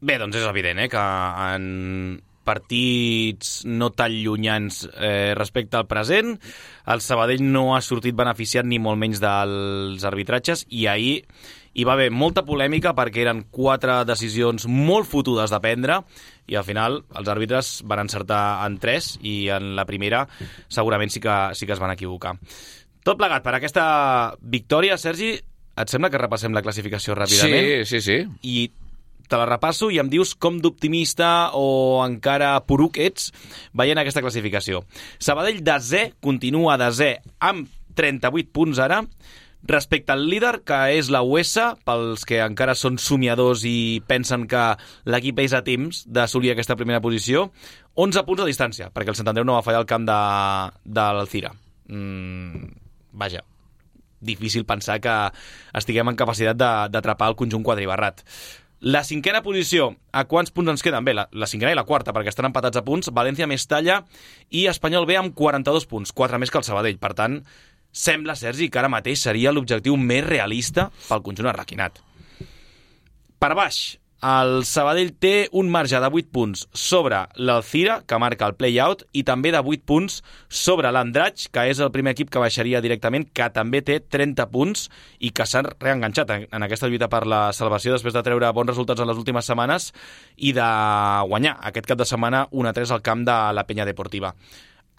Bé, doncs és evident, eh, que en partits no tan llunyans eh, respecte al present, el Sabadell no ha sortit beneficiat ni molt menys dels arbitratges, i ahir hi va haver molta polèmica perquè eren quatre decisions molt fotudes de prendre i al final els àrbitres van encertar en tres i en la primera segurament sí que, sí que es van equivocar. Tot plegat per aquesta victòria, Sergi, et sembla que repassem la classificació ràpidament? Sí, sí, sí. I te la repasso i em dius com d'optimista o encara poruc ets veient aquesta classificació. Sabadell desè, continua desè amb trenta-vuit punts ara, respecte al líder, que és la U S, pels que encara són somiadors i pensen que l'equip és a temps d'assolir aquesta primera posició, onze punts de distància, perquè el Sant Andreu no va fallar el camp de, de l'Alcira. Mm, vaja, difícil pensar que estiguem en capacitat d'atrapar el conjunt quadribarrat. La cinquena posició, a quants punts ens queden? Bé, la, la cinquena i la quarta, perquè estan empatats a punts, València, Mestalla i Espanyol B amb quaranta-dos punts, quatre més que el Sabadell. Per tant, sembla, Sergi, que ara mateix seria l'objectiu més realista pel conjunt arraquinat. Per baix, el Sabadell té un marge de vuit punts sobre l'Alcira, que marca el play-out, i també de vuit punts sobre l'Andratx, que és el primer equip que baixaria directament, que també té trenta punts i que s'ha reenganxat en aquesta lluita per la salvació després de treure bons resultats en les últimes setmanes i de guanyar aquest cap de setmana un a tres al camp de la Penya Deportiva.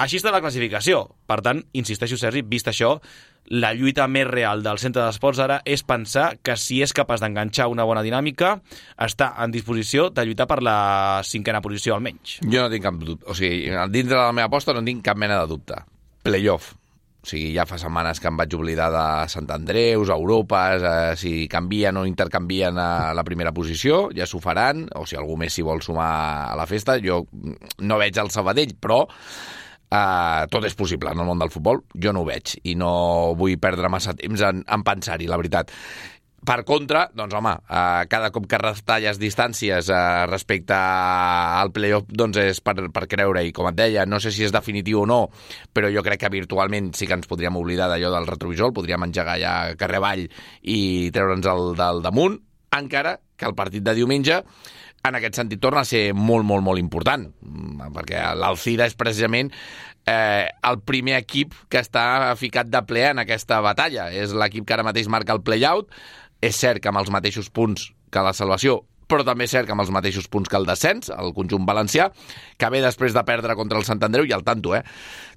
Així està la classificació. Per tant, insisteixo, Sergi, vist això, la lluita més real del centre d'esports ara és pensar que si és capaç d'enganxar una bona dinàmica, està en disposició de lluitar per la cinquena posició almenys. Jo no tinc cap dubte. O sigui, dintre de la meva aposta no tinc cap mena de dubte. Playoff. O sigui, ja fa setmanes que em vaig oblidar de Sant Andreus, Europes, eh, si canvien o intercanvien a la primera posició, ja s'ho faran, o si algú més s'hi vol sumar a la festa. Jo no veig el Sabadell, però eh, tot és possible en el món del futbol. Jo no ho veig i no vull perdre massa temps en, en pensar-hi, la veritat. Per contra, doncs home, eh, cada cop que retalles distàncies eh, respecte al playoff, doncs és per, per creure, i com et deia, no sé si és definitiu o no, però jo crec que virtualment sí que ens podríem oblidar d'allò del retrovisor, podríem engegar ja carrer avall i treure'ns el del damunt, encara que el partit de diumenge en aquest sentit torna a ser molt, molt, molt important, perquè l'Alcira és precisament eh, el primer equip que està ficat de ple en aquesta batalla. És l'equip que ara mateix marca el play-out. És cert que amb els mateixos punts que la salvació, però també és cert que amb els mateixos punts que el descens, el conjunt valencià, que ve després de perdre contra el Sant Andreu, i al tanto, eh?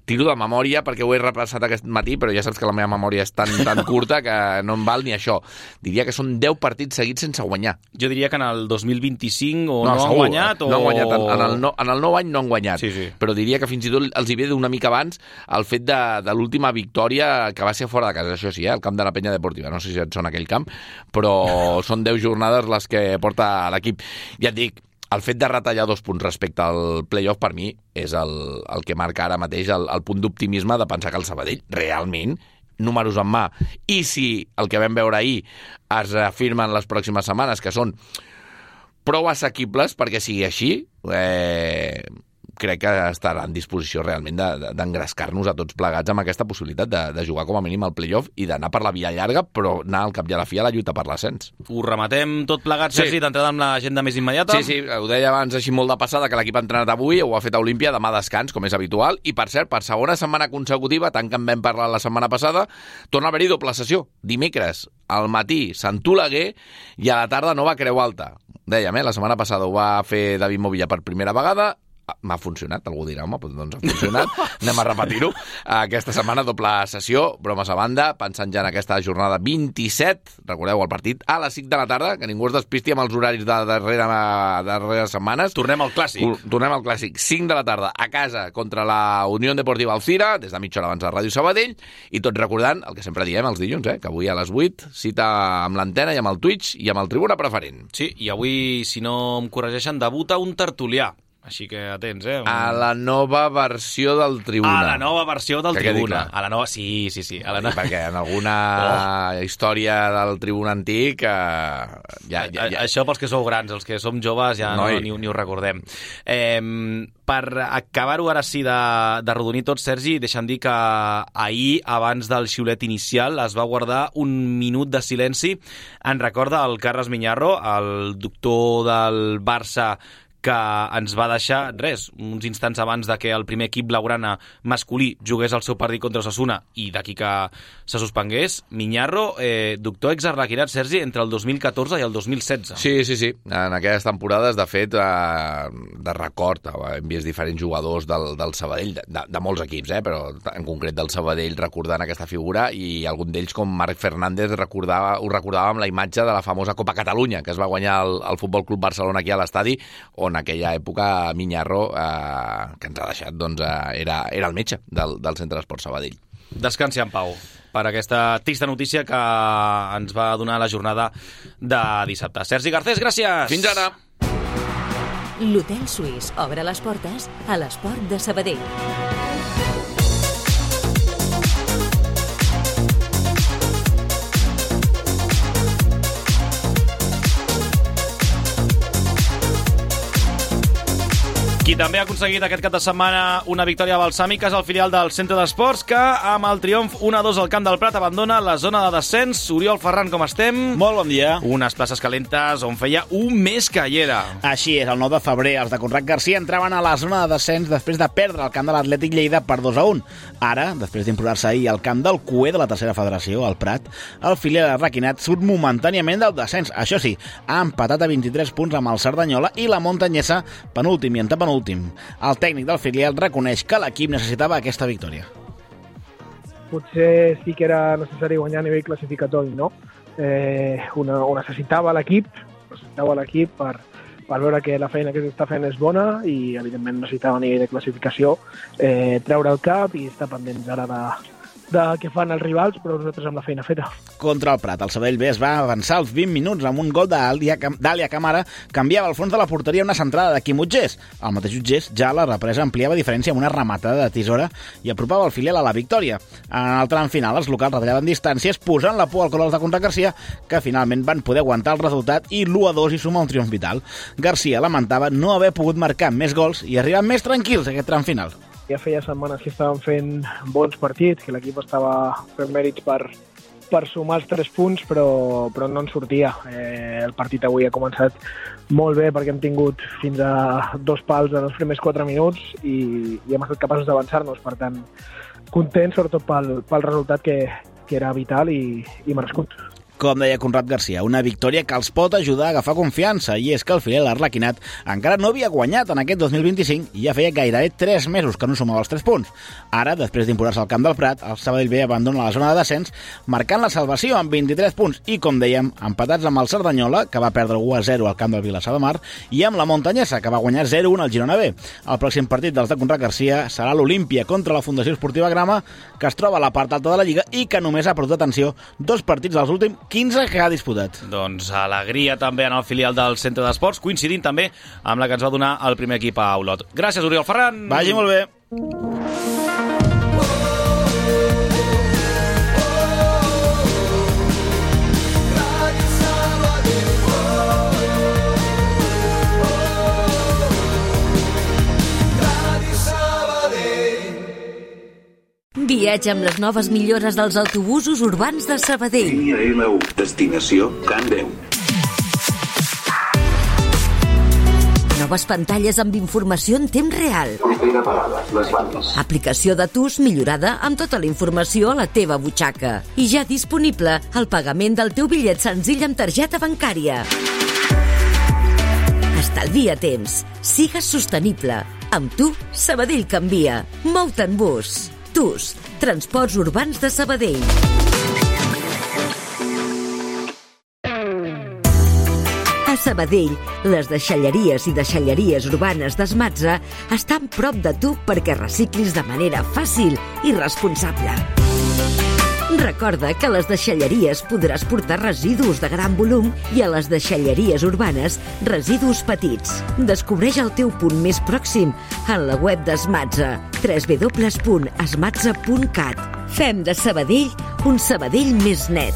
Tiro de memòria perquè ho he repassat aquest matí, però ja saps que la meva memòria és tan, tan curta que no em val ni això. Diria que són deu partits seguits sense guanyar. Jo diria que en el dos mil vint-i-cinc o no, no segur, han guanyat o... No han guanyat. En, en, el no, en el nou any no han guanyat. Sí, sí. Però diria que fins i tot els hi ve d'una mica abans el fet de, de l'última victòria que va ser fora de casa. Això sí, eh? El camp de la Penya Deportiva. No sé si et sona aquell camp, però són deu jornades les que porta l'equip. Ja et dic, el fet de retallar dos punts respecte al playoff per mi és el, el que marca ara mateix el, el punt d'optimisme de pensar que el Sabadell realment, números en mà, i si el que vam veure ahir es afirma en les pròximes setmanes, que són prou assequibles perquè sigui així, eh, crec que estarà en disposició realment d'engrescar-nos de, de, a tots plegats amb aquesta possibilitat de, de jugar com a mínim al playoff i d'anar per la via llarga, però anar al cap i a la fi a la lluita per l'ascens. Ho rematem tot plegat, Sergi, sí. D'entrada amb l'agenda més immediata? Sí, sí, ho deia abans així molt de passada, que l'equip ha entrenat avui, ho ha fet a Olímpia, demà descans, com és habitual, i per cert, per segona setmana consecutiva, tant que en vam parlar la setmana passada, torna a haver-hi doble sessió. Dimecres, al matí, Sant Oleguer, i a la tarda Nova Creu Alta. Dèiem, eh? La setmana passada ho va fer David Movilla per primera vegada, m'ha funcionat, algú dirà, home, doncs ha funcionat, anem a repetir-ho. Aquesta setmana doble sessió, bromes a banda, pensant ja en aquesta jornada vint-i-set, recordeu el partit, a les cinc de la tarda, que ningú es despisti amb els horaris de darrere, darreres setmanes. Tornem al clàssic. Tornem al clàssic, cinc de la tarda, a casa, contra la Unió Deportiva Alcira, des de mitja hora abans de Ràdio Sabadell, i tots recordant el que sempre diem els dilluns, eh, que avui a les vuit, cita amb l'antena i amb el Twitch i amb el Tribuna Preferent. Sí, i avui, si no em corregeixen, debuta un tertulià. Així que atents, eh? Un... A la nova versió del Tribuna. A la nova versió del que Tribuna. A la nova... Sí, sí, sí. A la no... Perquè en alguna oh. història del Tribuna antic... Eh, ja, ja, ja... Això pels que sou grans, els que som joves ja no, ni, ni ho recordem. Eh, per acabar-ho ara sí de, de rodonir tot, Sergi, deixa'm dir que ahir, abans del xiulet inicial, es va guardar un minut de silenci en record del Carles Miñarro, el doctor del Barça, que ens va deixar, res, uns instants abans de que el primer equip blaugrana masculí jugués el seu partit contra Osasuna i d'aquí que se suspengués. Miñarro, eh, doctor exarlequinat, Sergi, entre el dos mil catorze i el dos mil setze. Sí, sí, sí. En aquelles temporades, de fet, eh, de record, hem vist diferents jugadors del, del Sabadell, de, de molts equips, eh, però en concret del Sabadell, recordant aquesta figura, i algun d'ells, com Marc Fernández, recordava, ho recordava amb la imatge de la famosa Copa Catalunya, que es va guanyar el, el Futbol Club Barcelona aquí a l'estadi, on en aquella època Miñarro, eh, que ens ha deixat, doncs, eh, era, era el metge del, del Centre d'Esport Sabadell. Descansi en pau per aquesta trista notícia que ens va donar la jornada de dissabte. Sergi Garcés, gràcies! Fins ara! L'Hotel Suís obre les portes a l'esport de Sabadell. Qui també ha aconseguit aquest cap de setmana una victòria balsàmica és el filial del Centre d'Esports, que amb el triomf un a dos al Camp del Prat abandona la zona de descens. Oriol Ferran, com estem? Molt bon dia. Unes places calentes on feia un mes que hi era. Així és, el nou de febrer els de Conrad Garcia entraven a la zona de descens després de perdre el camp de l'Atlètic Lleida per dos a un. Ara, després d'imposar-se ahir al camp del C U E de la tercera federació, el Prat, el filial arlequinat surt momentàniament del descens. Això sí, ha empatat a vint-i-tres punts amb el Cerdanyola i la Montanyesa, penúltim i antepenúltim, últim. El tècnic del filial reconeix que l'equip necessitava aquesta victòria. Potser sí que era necessari guanyar a nivell classificatori, no? Eh, una, ho necessitava l'equip, necessitava l'equip per, per veure que la feina que s'està fent és bona i, evidentment, necessitava a nivell de classificació eh, treure el cap i estar pendents ara de, de què fan els rivals, però nosaltres amb la feina feta. Contra el Prat, el Sabadell B es va avançar als vint minuts amb un gol d'Àlia Camara, canviava el fons de la porteria una centrada de Quim Utgés. El mateix Utgés ja a la represa ampliava diferència amb una rematada de tisora i apropava el filial a la victòria. En el tram final, els locals retallaven distàncies, posant la por al col·lectiu de Conrad Garcia, que finalment van poder aguantar el resultat i l'u a dos i sumar un triomf vital. Garcia lamentava no haver pogut marcar més gols i arribar més tranquils a aquest tram final. Ja feia setmanes que estaven fent bons partits, que l'equip estava fent mèrits per, per sumar els tres punts, però, però no en sortia. Eh, el partit avui ha començat molt bé perquè hem tingut fins a dos pals en els primers quatre minuts i, i hem estat capaços d'avançar-nos. Per tant, contents, sobretot pel, pel resultat que, que era vital i, i merescut. Com deia Conrad Garcia, una victòria que els pot ajudar a agafar confiança, i és que el filial arlequinat encara no havia guanyat en aquest dos mil vint-i-cinc i ja feia gairebé tres mesos que no sumava els tres punts. Ara, després d'imposar-se al camp del Prat, el Sabadell B abandona la zona de descens, marcant la salvació amb vint-i-tres punts i, com dèiem, empatats amb el Cerdanyola, que va perdre u a zero al camp del Vilassar de Mar, i amb la Montanyesa, que va guanyar zero a un al Girona B. El pròxim partit dels de Conrad Garcia serà l'Olímpia contra la Fundació Esportiva Grama, que es troba a la part alta de la Lliga i que només ha perdut atenció dos partits dels últims quinze que ha disputat. Doncs alegria també en el filial del Centre d'Esports, coincidint també amb la que ens va donar el primer equip a Olot. Gràcies, Oriol Ferran. Vagi molt bé. Viatja amb les noves millores dels autobusos urbans de Sabadell. Línia L u, destinació Can deu. Noves pantalles amb informació en temps real. Propera parada, les bandes. Aplicació de T U S millorada amb tota la informació a la teva butxaca. I ja disponible el pagament del teu bitllet senzill amb targeta bancària. Estalvia temps. Sigues sostenible. Amb tu, Sabadell canvia. Mou-te en bus. T U S, Transports Urbans de Sabadell. A Sabadell, les deixalleries i deixalleries urbanes d'Esmatza estan prop de tu perquè reciclis de manera fàcil i responsable. Recorda que a les deixalleries podràs portar residus de gran volum i a les deixalleries urbanes residus petits. Descobreix el teu punt més pròxim en la web d'Esmatza, w w w punt esmatza punt cat. Fem de Sabadell un Sabadell més net.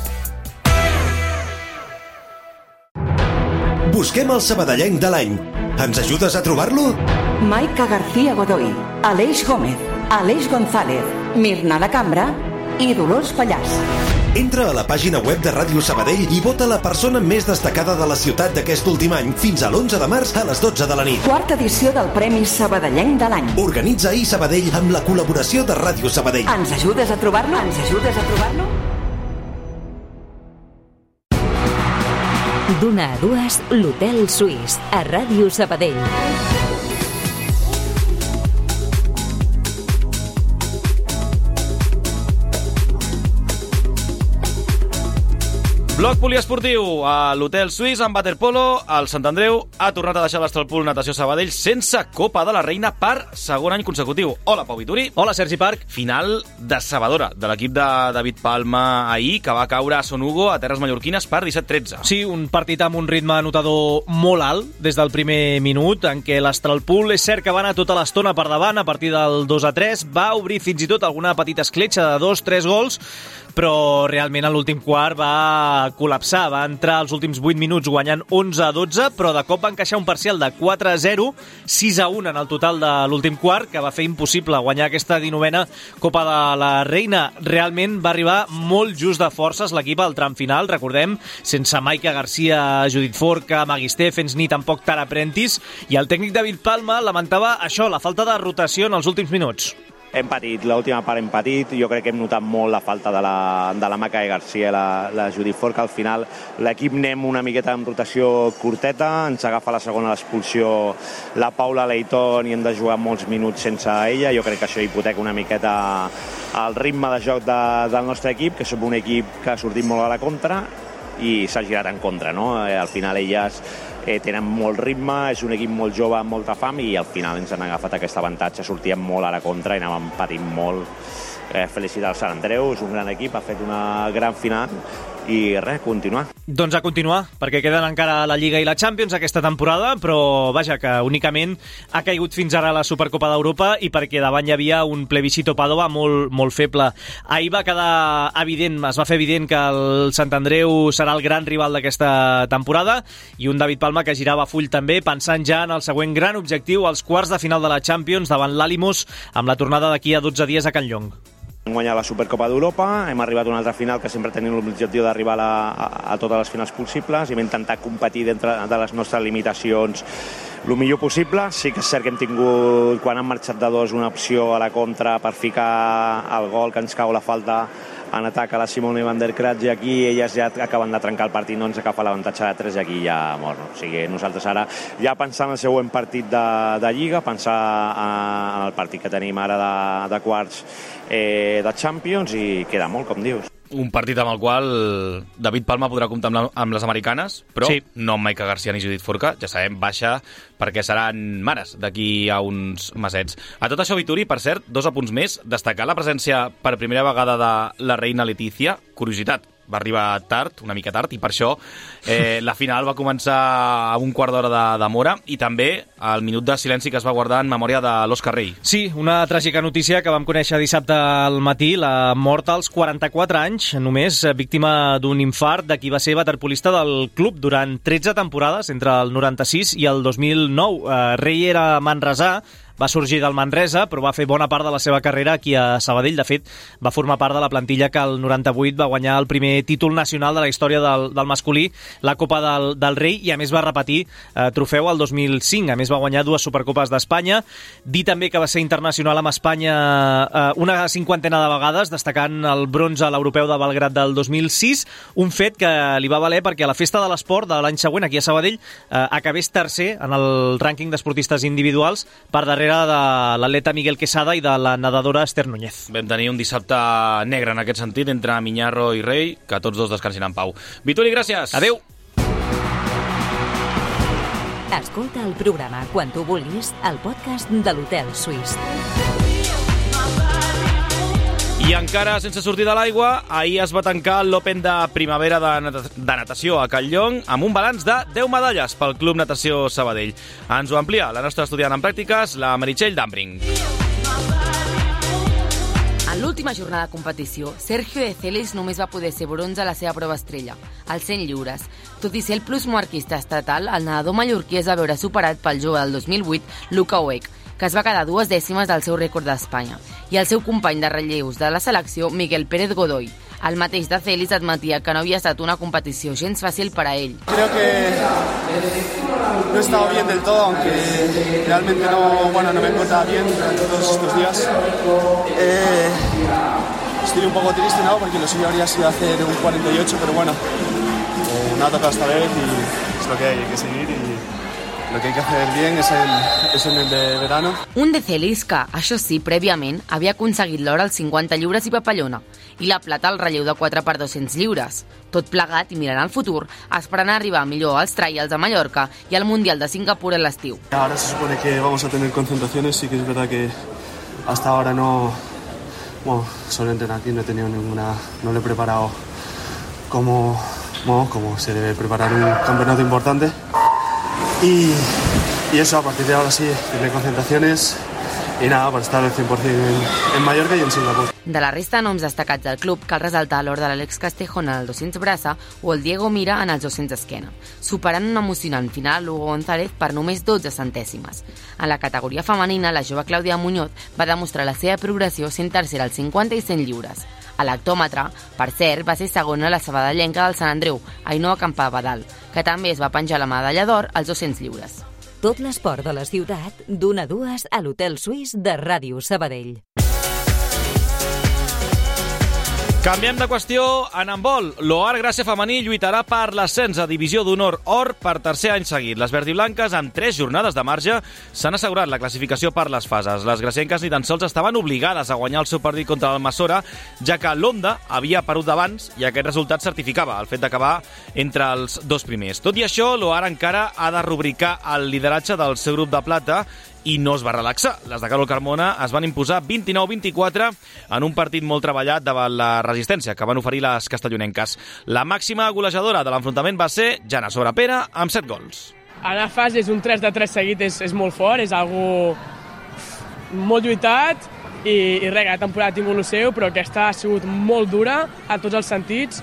Busquem el sabadellenc de l'any. Ens ajudes a trobar-lo? Maica García Godoy, Aleix Gómez, Aleix González, Mirna La Cambra i Dolors Pallàs. Entra a la pàgina web de Ràdio Sabadell i vota la persona més destacada de la ciutat d'aquest últim any fins a l'onze de març a les dotze de la nit. Quarta edició del Premi Sabadellenc de l'any. Organitza ahir Sabadell amb la col·laboració de Ràdio Sabadell. Ens ajudes a trobar-lo? Ens ajudes a trobar-lo? D'una a dues, l'Hotel Suís, a Ràdio Sabadell. Bloc poliesportiu a l'Hotel Suís amb waterpolo. El Sant Andreu ha tornat a deixar l'Estralpool Natació Sabadell sense Copa de la Reina per segon any consecutiu. Hola, Pau Vituri. Hola, Sergi Parc. Final decebedora de l'equip de David Palma ahir, que va caure a Son Hugo, a terres mallorquines, per disset tretze. Sí, un partit amb un ritme anotador molt alt des del primer minut, en què l'Estralpool és cert que va anar tota l'estona per davant a partir del dos a tres, va obrir fins i tot alguna petita escletxa de dos tres gols, però realment a l'últim quart va col·lapsar, va entrar als últims vuit minuts guanyant onze a dotze, però de cop va encaixar un parcial de quatre a zero, sis a un en el total de l'últim quart, que va fer impossible guanyar aquesta dinovena Copa de la Reina. Realment va arribar molt just de forces l'equip al tram final, recordem, sense Maica Garcia, Judit Forca, Magui Stephens ni tampoc Tara Prentice, i el tècnic David Palma lamentava això, la falta de rotació en els últims minuts. Hem patit, l'última part hem patit, jo crec que hem notat molt la falta de la, de la Maca i Garcia, la, la Judit Ford, que al final l'equip anem una miqueta en rotació curteta, ens agafa la segona l'expulsió la Paula Leighton i hem de jugar molts minuts sense ella, jo crec que això hipoteca una miqueta el ritme de joc de, del nostre equip, que som un equip que ha sortit molt a la contra i s'ha girat en contra, no? Al final elles eh, tenen molt ritme, és un equip molt jove amb molta fam i al final ens han agafat aquest avantatge, sortíem molt a la contra i anàvem patint molt. Eh, felicitar el Sant Andreu, és un gran equip, ha fet una gran final i res, continuar. Doncs a continuar, perquè queden encara la Lliga i la Champions aquesta temporada, però vaja, que únicament ha caigut fins ara la Supercopa d'Europa i perquè davant hi havia un plebiscito Padova molt, molt feble. Ahir va quedar evident, es va fer evident que el Sant Andreu serà el gran rival d'aquesta temporada i un David Palma que girava full també, pensant ja en el següent gran objectiu, els quarts de final de la Champions davant l'Alimos, amb la tornada d'aquí a dotze dies a Can Llong. Hem guanyat la Supercopa d'Europa, hem arribat a una altra final que sempre tenim l'objectiu d'arribar a, a, a totes les finals possibles i hem intentat competir dintre de les nostres limitacions el millor possible. Sí que és cert que hem tingut, quan han marxat de dos, una opció a la contra per ficar el gol que ens cau la falta en atac a la Simone van der Kratz i aquí elles ja acaben de trencar el partit, no ens agafa l'avantatge de tres i aquí ja mor. O sigui, nosaltres ara ja pensar en el següent partit de, de Lliga, pensar en el partit que tenim ara de, de quarts eh, de Champions i queda molt, com dius. Un partit amb el qual David Palma podrà comptar amb, la, amb les americanes, però sí, no amb Maika Garcia ni Judit Forca, ja sabem, baixa perquè seran mares d'aquí a uns mesets. A tot això, Vituri, per cert, dos apunts més, destacar la presència per primera vegada de la reina Letícia, curiositat, va arribar tard, una mica tard, i per això eh, la final va començar a un quart d'hora de demora i també el minut de silenci que es va guardar en memòria de l'Òscar Rey. Sí, una tràgica notícia que vam conèixer dissabte al matí, la mort als quaranta-quatre anys, només víctima d'un infart de qui va ser waterpolista del club durant tretze temporades, entre el noranta-sis i el dos mil nou. Eh, Rey era manresà, va sorgir del Manresa, però va fer bona part de la seva carrera aquí a Sabadell. De fet, va formar part de la plantilla que el noranta-vuit va guanyar el primer títol nacional de la història del, del masculí, la Copa del, del Rei, i a més va repetir eh, trofeu el dos mil cinc. A més va guanyar dues Supercopes d'Espanya. Dir també que va ser internacional amb Espanya eh, una cinquantena de vegades, destacant el bronze a l'Europeu de Belgrat del dos mil sis, un fet que li va valer perquè a la Festa de l'Esport de l'any següent, aquí a Sabadell, eh, acabés tercer en el rànquing d'esportistes individuals per darrere de l'atleta Miguel Quesada i de la nedadora Esther Núñez. Vam tenir un dissabte negre en aquest sentit entre Miñarro i Rei, que tots dos descansin en pau. Vituri, gràcies! Adéu! Escolta el programa quan tu vulguis al podcast de l'Hotel Suís. I encara sense sortir de l'aigua, ahir es va tancar l'Open de primavera de, nat de natació a Can Llong amb un balanç de deu medalles pel Club Natació Sabadell. Ens ho amplia la nostra estudiant en pràctiques, la Meritxell Dambring. En l'última jornada de competició, Sergio de Celis només va poder ser bronze a la seva prova estrella, els cent lliures. Tot i ser el plus marquista estatal, el nedador mallorquí es va veure superat pel jove del dos mil vuit, Luca Oec, que es va quedar dues dècimes del seu rècord d'Espanya, i el seu company de relleus de la selecció, Miguel Pérez Godoy. El mateix de Celis admetia que no havia estat una competició gens fàcil per a ell. Creo que no he estado bien del todo, aunque realmente no, bueno, no me encontraba bien durante todos estos días. Eh, estoy un poco triste, ¿no? Porque lo suyo habría sido hacer un cuarenta y ocho, pero bueno, eh, me ha tocado esta vez y es lo que hay, hay que seguir y lo que hay que hacer bien es el, es en el de verano. Un de Celis que, això sí, prèviament havia aconseguit l'or als cinquanta lliures i papallona i la plata al relleu de quatre per dos-cents lliures. Tot plegat i mirant al futur, esperant arribar millor als trials a Mallorca i al Mundial de Singapur a l'estiu. Ahora se supone que vamos a tener concentraciones, sí que es verdad que hasta ahora no, bueno, solo entrenar aquí, no he tenido ninguna, no lo he preparado como, bueno, como se debe preparar un campeonato importante. Y, y eso, a partir de ahora sí, tendré concentraciones i nada, per estar al cent per cent en, en Mallorca i en Singapur. De la resta de noms destacats del club cal resaltar l'or de l'Àlex Castejón en el dos-cents braça o el Diego Mira en els dos-cents esquena, superant una emocionant final a Lugo González per només dotze centèsimes. En la categoria femenina, la jove Clàudia Muñoz va demostrar la seva progressió sent tercera als cinquanta i cent lliures. A l'hectòmetre, per cert, va ser segona la sabadellenca del Sant Andreu, Ainhoa Campabadal, que també es va penjar la medalla d'or als dos-cents lliures. Tot l'esport de la ciutat, d'una a dues a l'Hotel Suís de Ràdio Sabadell. Canviem de qüestió en handbol. L'Oar Gràcia femení lluitarà per l'ascens a Divisió d'Honor Or per tercer any seguit. Les verdiblanques, amb tres jornades de marge, s'han assegurat la classificació per les fases. Les gracienques ni tan sols estaven obligades a guanyar el seu partit contra l'Almassora, ja que l'Onda havia perdut d'abans i aquest resultat certificava el fet d'acabar entre els dos primers. Tot i això, l'Oar encara ha de rubricar el lideratge del seu grup de plata i no es va relaxar. Les de Carol Carmona es van imposar vint-i-nou a vint-i-quatre en un partit molt treballat davant la resistència que van oferir les castellonenques. La màxima golejadora de l'enfrontament va ser Jana Sobrapera, amb set gols. Anar a fases un tres de tres seguit és, és molt fort, és algo molt lluitat i, i res, la temporada ha tingut el seu, però aquesta ha sigut molt dura a tots els sentits.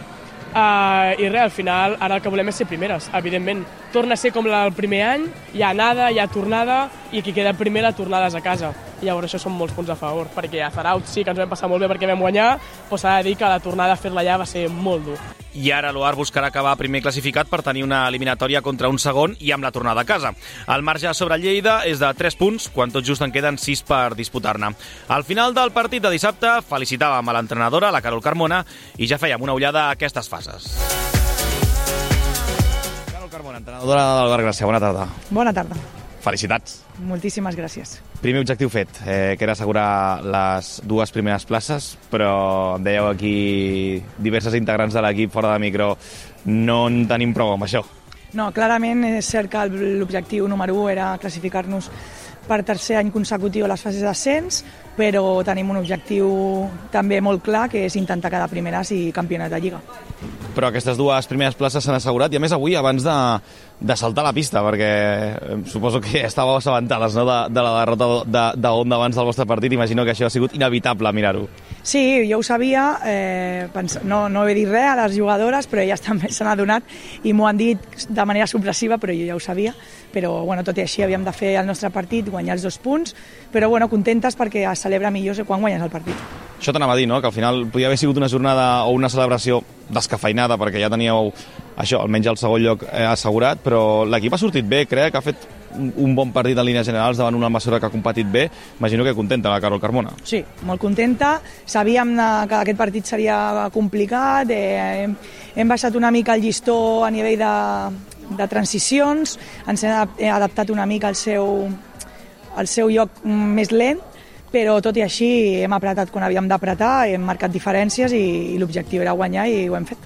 Uh, i res, al final ara el que volem és ser primeres, evidentment. Torna a ser com el primer any, hi ha anada, hi ha tornada, i qui queda primer la tornada és a casa. I llavors això són molts punts a favor, perquè a Zaraut sí que ens vam passar molt bé perquè vam guanyar, però s'ha de dir que la tornada a fer-la allà va ser molt dur. I ara l'Oar buscarà acabar primer classificat per tenir una eliminatòria contra un segon i amb la tornada a casa. El marge sobre Lleida és de tres punts, quan tot just en queden sis per disputar-ne. Al final del partit de dissabte felicitàvem a l'entrenadora, la Carol Carmona, i ja fèiem una ullada a aquestes fases. Carol Carmona, entrenadora del Bar Gràcia, bona tarda. Bona tarda. Felicitats. Moltíssimes gràcies. Primer objectiu fet, eh, que era assegurar les dues primeres places, però em dèieu aquí diverses integrants de l'equip fora de micro, no en tenim prou amb això. No, clarament és cert que l'objectiu número u era classificar-nos per tercer any consecutiu a les fases d'ascens, però tenim un objectiu també molt clar, que és intentar quedar primeres i campionat de Lliga. Però aquestes dues primeres places s'han assegurat, i a més avui abans de, de saltar a la pista, perquè suposo que estàveu assabentades, no?, de, de la derrota de, de Onda abans del vostre partit. Imagino que això ha sigut inevitable mirar-ho. Sí, jo ho sabia, eh, pens... no, no he dit res a les jugadores, però elles també s'han adonat i m'ho han dit de manera sorpresiva, però jo ja ho sabia. Però bueno, tot i així havíem de fer el nostre partit, guanyar els dos punts, però bueno, contentes perquè es celebra millor quan guanyes el partit. Això t'anava a dir, no?, que al final podia haver sigut una jornada o una celebració descafeinada, perquè ja teníeu això, almenys el segon lloc eh, assegurat, però l'equip ha sortit bé, crec que ha fet un bon partit en línies generals davant una Almassora que ha competit bé. Imagino que contenta la Carol Carmona. Sí, molt contenta. Sabíem que aquest partit seria complicat, eh, hem, hem baixat una mica el llistó a nivell de, de transicions, ens hem adaptat una mica al seu, al seu lloc més lent, però tot i així hem apretat quan havíem d'apretar, hem marcat diferències i, i l'objectiu era guanyar i ho hem fet.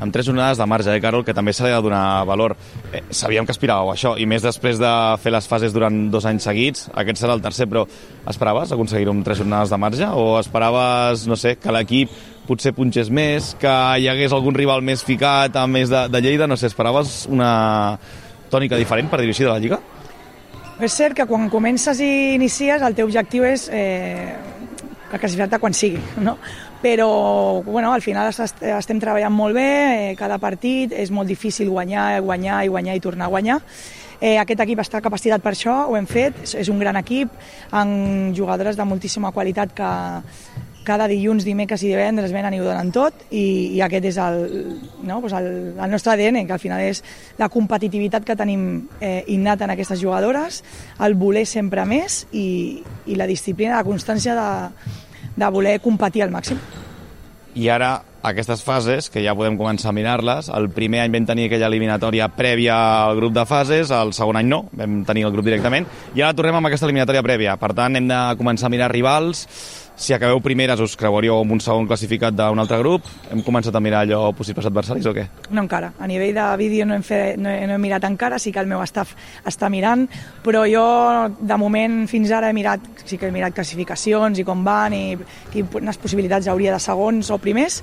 Amb tres jornades de marge, eh, Carol, que també s'ha de donar valor. Eh, sabíem que aspiràveu a això, i més després de fer les fases durant dos anys seguits. Aquest serà el tercer, però esperaves aconseguir-ho amb tres jornades de marge? O esperaves, no sé, que l'equip potser punxés més, que hi hagués algun rival més ficat a més de, de Lleida? No sé, esperaves una tònica diferent, per dir-ho així, de la Lliga? És cert que quan comences i inicies el teu objectiu és eh, classificar-te quan sigui, no? Però bueno, al final estem treballant molt bé, eh, cada partit és molt difícil guanyar, guanyar i guanyar i tornar a guanyar. Eh, aquest equip està capacitat per això, ho hem fet, és un gran equip, amb jugadores de moltíssima qualitat que cada dilluns, dimecres i divendres venen i ho donen tot, i, i aquest és el, no, doncs el, el nostre A D N, que al final és la competitivitat que tenim eh, innata en aquestes jugadores, el voler sempre més i, i la disciplina, la constància de, de voler competir al màxim. I ara, aquestes fases, que ja podem començar a mirar-les, el primer any vam tenir aquella eliminatòria prèvia al grup de fases, el segon any no, vam tenir el grup directament, i ara tornem amb aquesta eliminatòria prèvia. Per tant, hem de començar a mirar rivals. Si acabeu primeres us creuaríeu amb un segon classificat d'un altre grup? Hem començat a mirar allò possibles adversaris o què? No encara. A nivell de vídeo no hem, fet, no, he, no he mirat encara, sí que el meu staff està mirant, però jo de moment fins ara he mirat, sí que he mirat classificacions i com van i quines possibilitats hauria de segons o primers,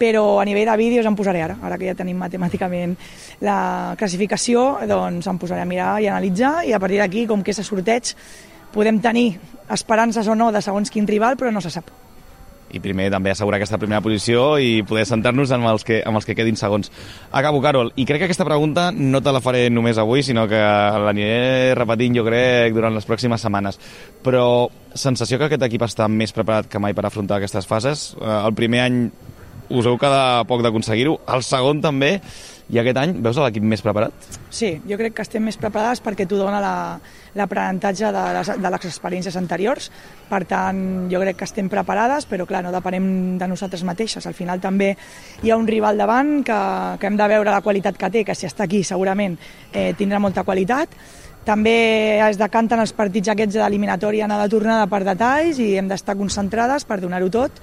però a nivell de vídeos em posaré ara, ara que ja tenim matemàticament la classificació, doncs em posaré a mirar i analitzar, i a partir d'aquí, com que és a sorteig, podem tenir esperances o no de segons quin rival, però no se sap. I primer també assegurar aquesta primera posició i poder centrar-nos amb els que, amb els que quedin segons. Acabo, Carol, i crec que aquesta pregunta no te la faré només avui, sinó que l'aniré repetint, jo crec, durant les pròximes setmanes. Però sensació que aquest equip està més preparat que mai per afrontar aquestes fases. El primer any us heu quedat poc d'aconseguir-ho, el segon també, I aquest any veus l'equip més preparat? Sí, jo crec que estem més preparades perquè t'ho dona l'aprenentatge de, les, de les experiències anteriors. Per tant, jo crec que estem preparades, però clar, no depenem de nosaltres mateixes. Al final també hi ha un rival davant que, que hem de veure la qualitat que té, que si està aquí segurament eh, tindrà molta qualitat. També es decanten els partits aquests d'eliminatòria anada tornada per detalls i hem d'estar concentrades per donar-ho tot,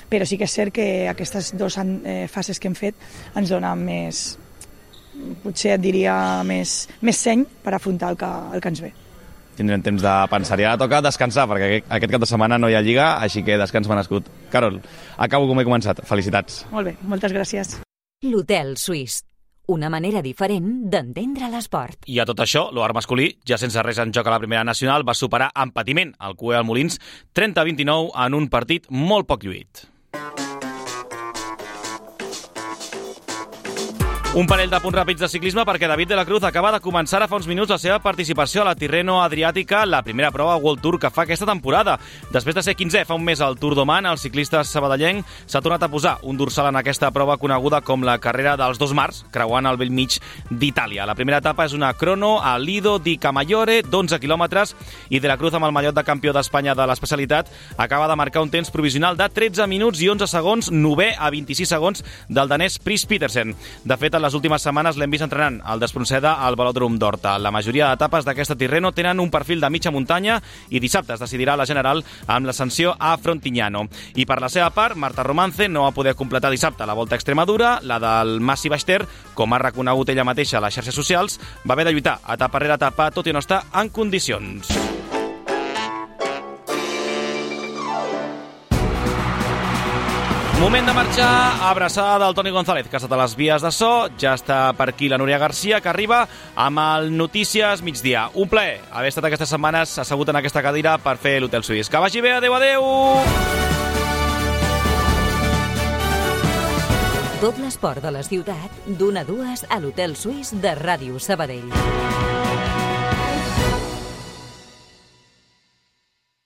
però sí que és cert que aquestes dues eh, fases que hem fet ens donen més, potser et diria més, més seny per afrontar el que, el que ens ve. Tindrem temps de pensar. I ara toca descansar, perquè aquest cap de setmana no hi ha Lliga, així que descans m'ha nascut. Carol, acabo com he començat. Felicitats. Molt bé, moltes gràcies. L'Hotel Suís. Una manera diferent d'entendre l'esport. I a tot això, l'Oar masculí, ja sense res en joc a la primera nacional, va superar amb patiment el Cue al Molins trenta a vint-i-nou en un partit molt poc lluït. Un parell de punts ràpids de ciclisme perquè David de la Cruz acaba de començar a fa uns minuts la seva participació a la Tirreno Adriàtica, la primera prova World Tour que fa aquesta temporada. Després de ser quinzè fa un mes al Tour d'Oman, el ciclista sabadellenc s'ha tornat a posar un dorsal en aquesta prova coneguda com la carrera dels dos mars, creuant el bell mig d'Itàlia. La primera etapa és una crono a Lido di Camaiore, d'onze quilòmetres, i de la Cruz, amb el mallot de campió d'Espanya de l'especialitat, acaba de marcar un temps provisional de tretze minuts i onze segons, novè a vint-i-sis segons del danès Pris Petersen. De fet, les últimes setmanes l'hem vist entrenant al Despronceda al Velòdrom d'Horta. La majoria d'etapes d'aquesta Tirreno tenen un perfil de mitja muntanya i dissabte es decidirà la general amb l'ascensió a Frontignano. I per la seva part, Marta Romance no va poder completar dissabte la Volta a Extremadura, la del Massi Baixter, com ha reconegut ella mateixa a les xarxes socials, va haver de lluitar etapa rere etapa, tot i no estar en condicions. Moment de marxar, abraçada del Toni González, que ha estat a les vies de so. Ja està per aquí la Núria Garcia, que arriba amb el Notícies Migdia. Un plaer haver estat aquestes setmanes assegut en aquesta cadira per fer l'Hotel Suís. Que vagi bé, adeu, adeu! Tot l'esport de la ciutat, d'una a dues a l'Hotel Suís de Ràdio Sabadell.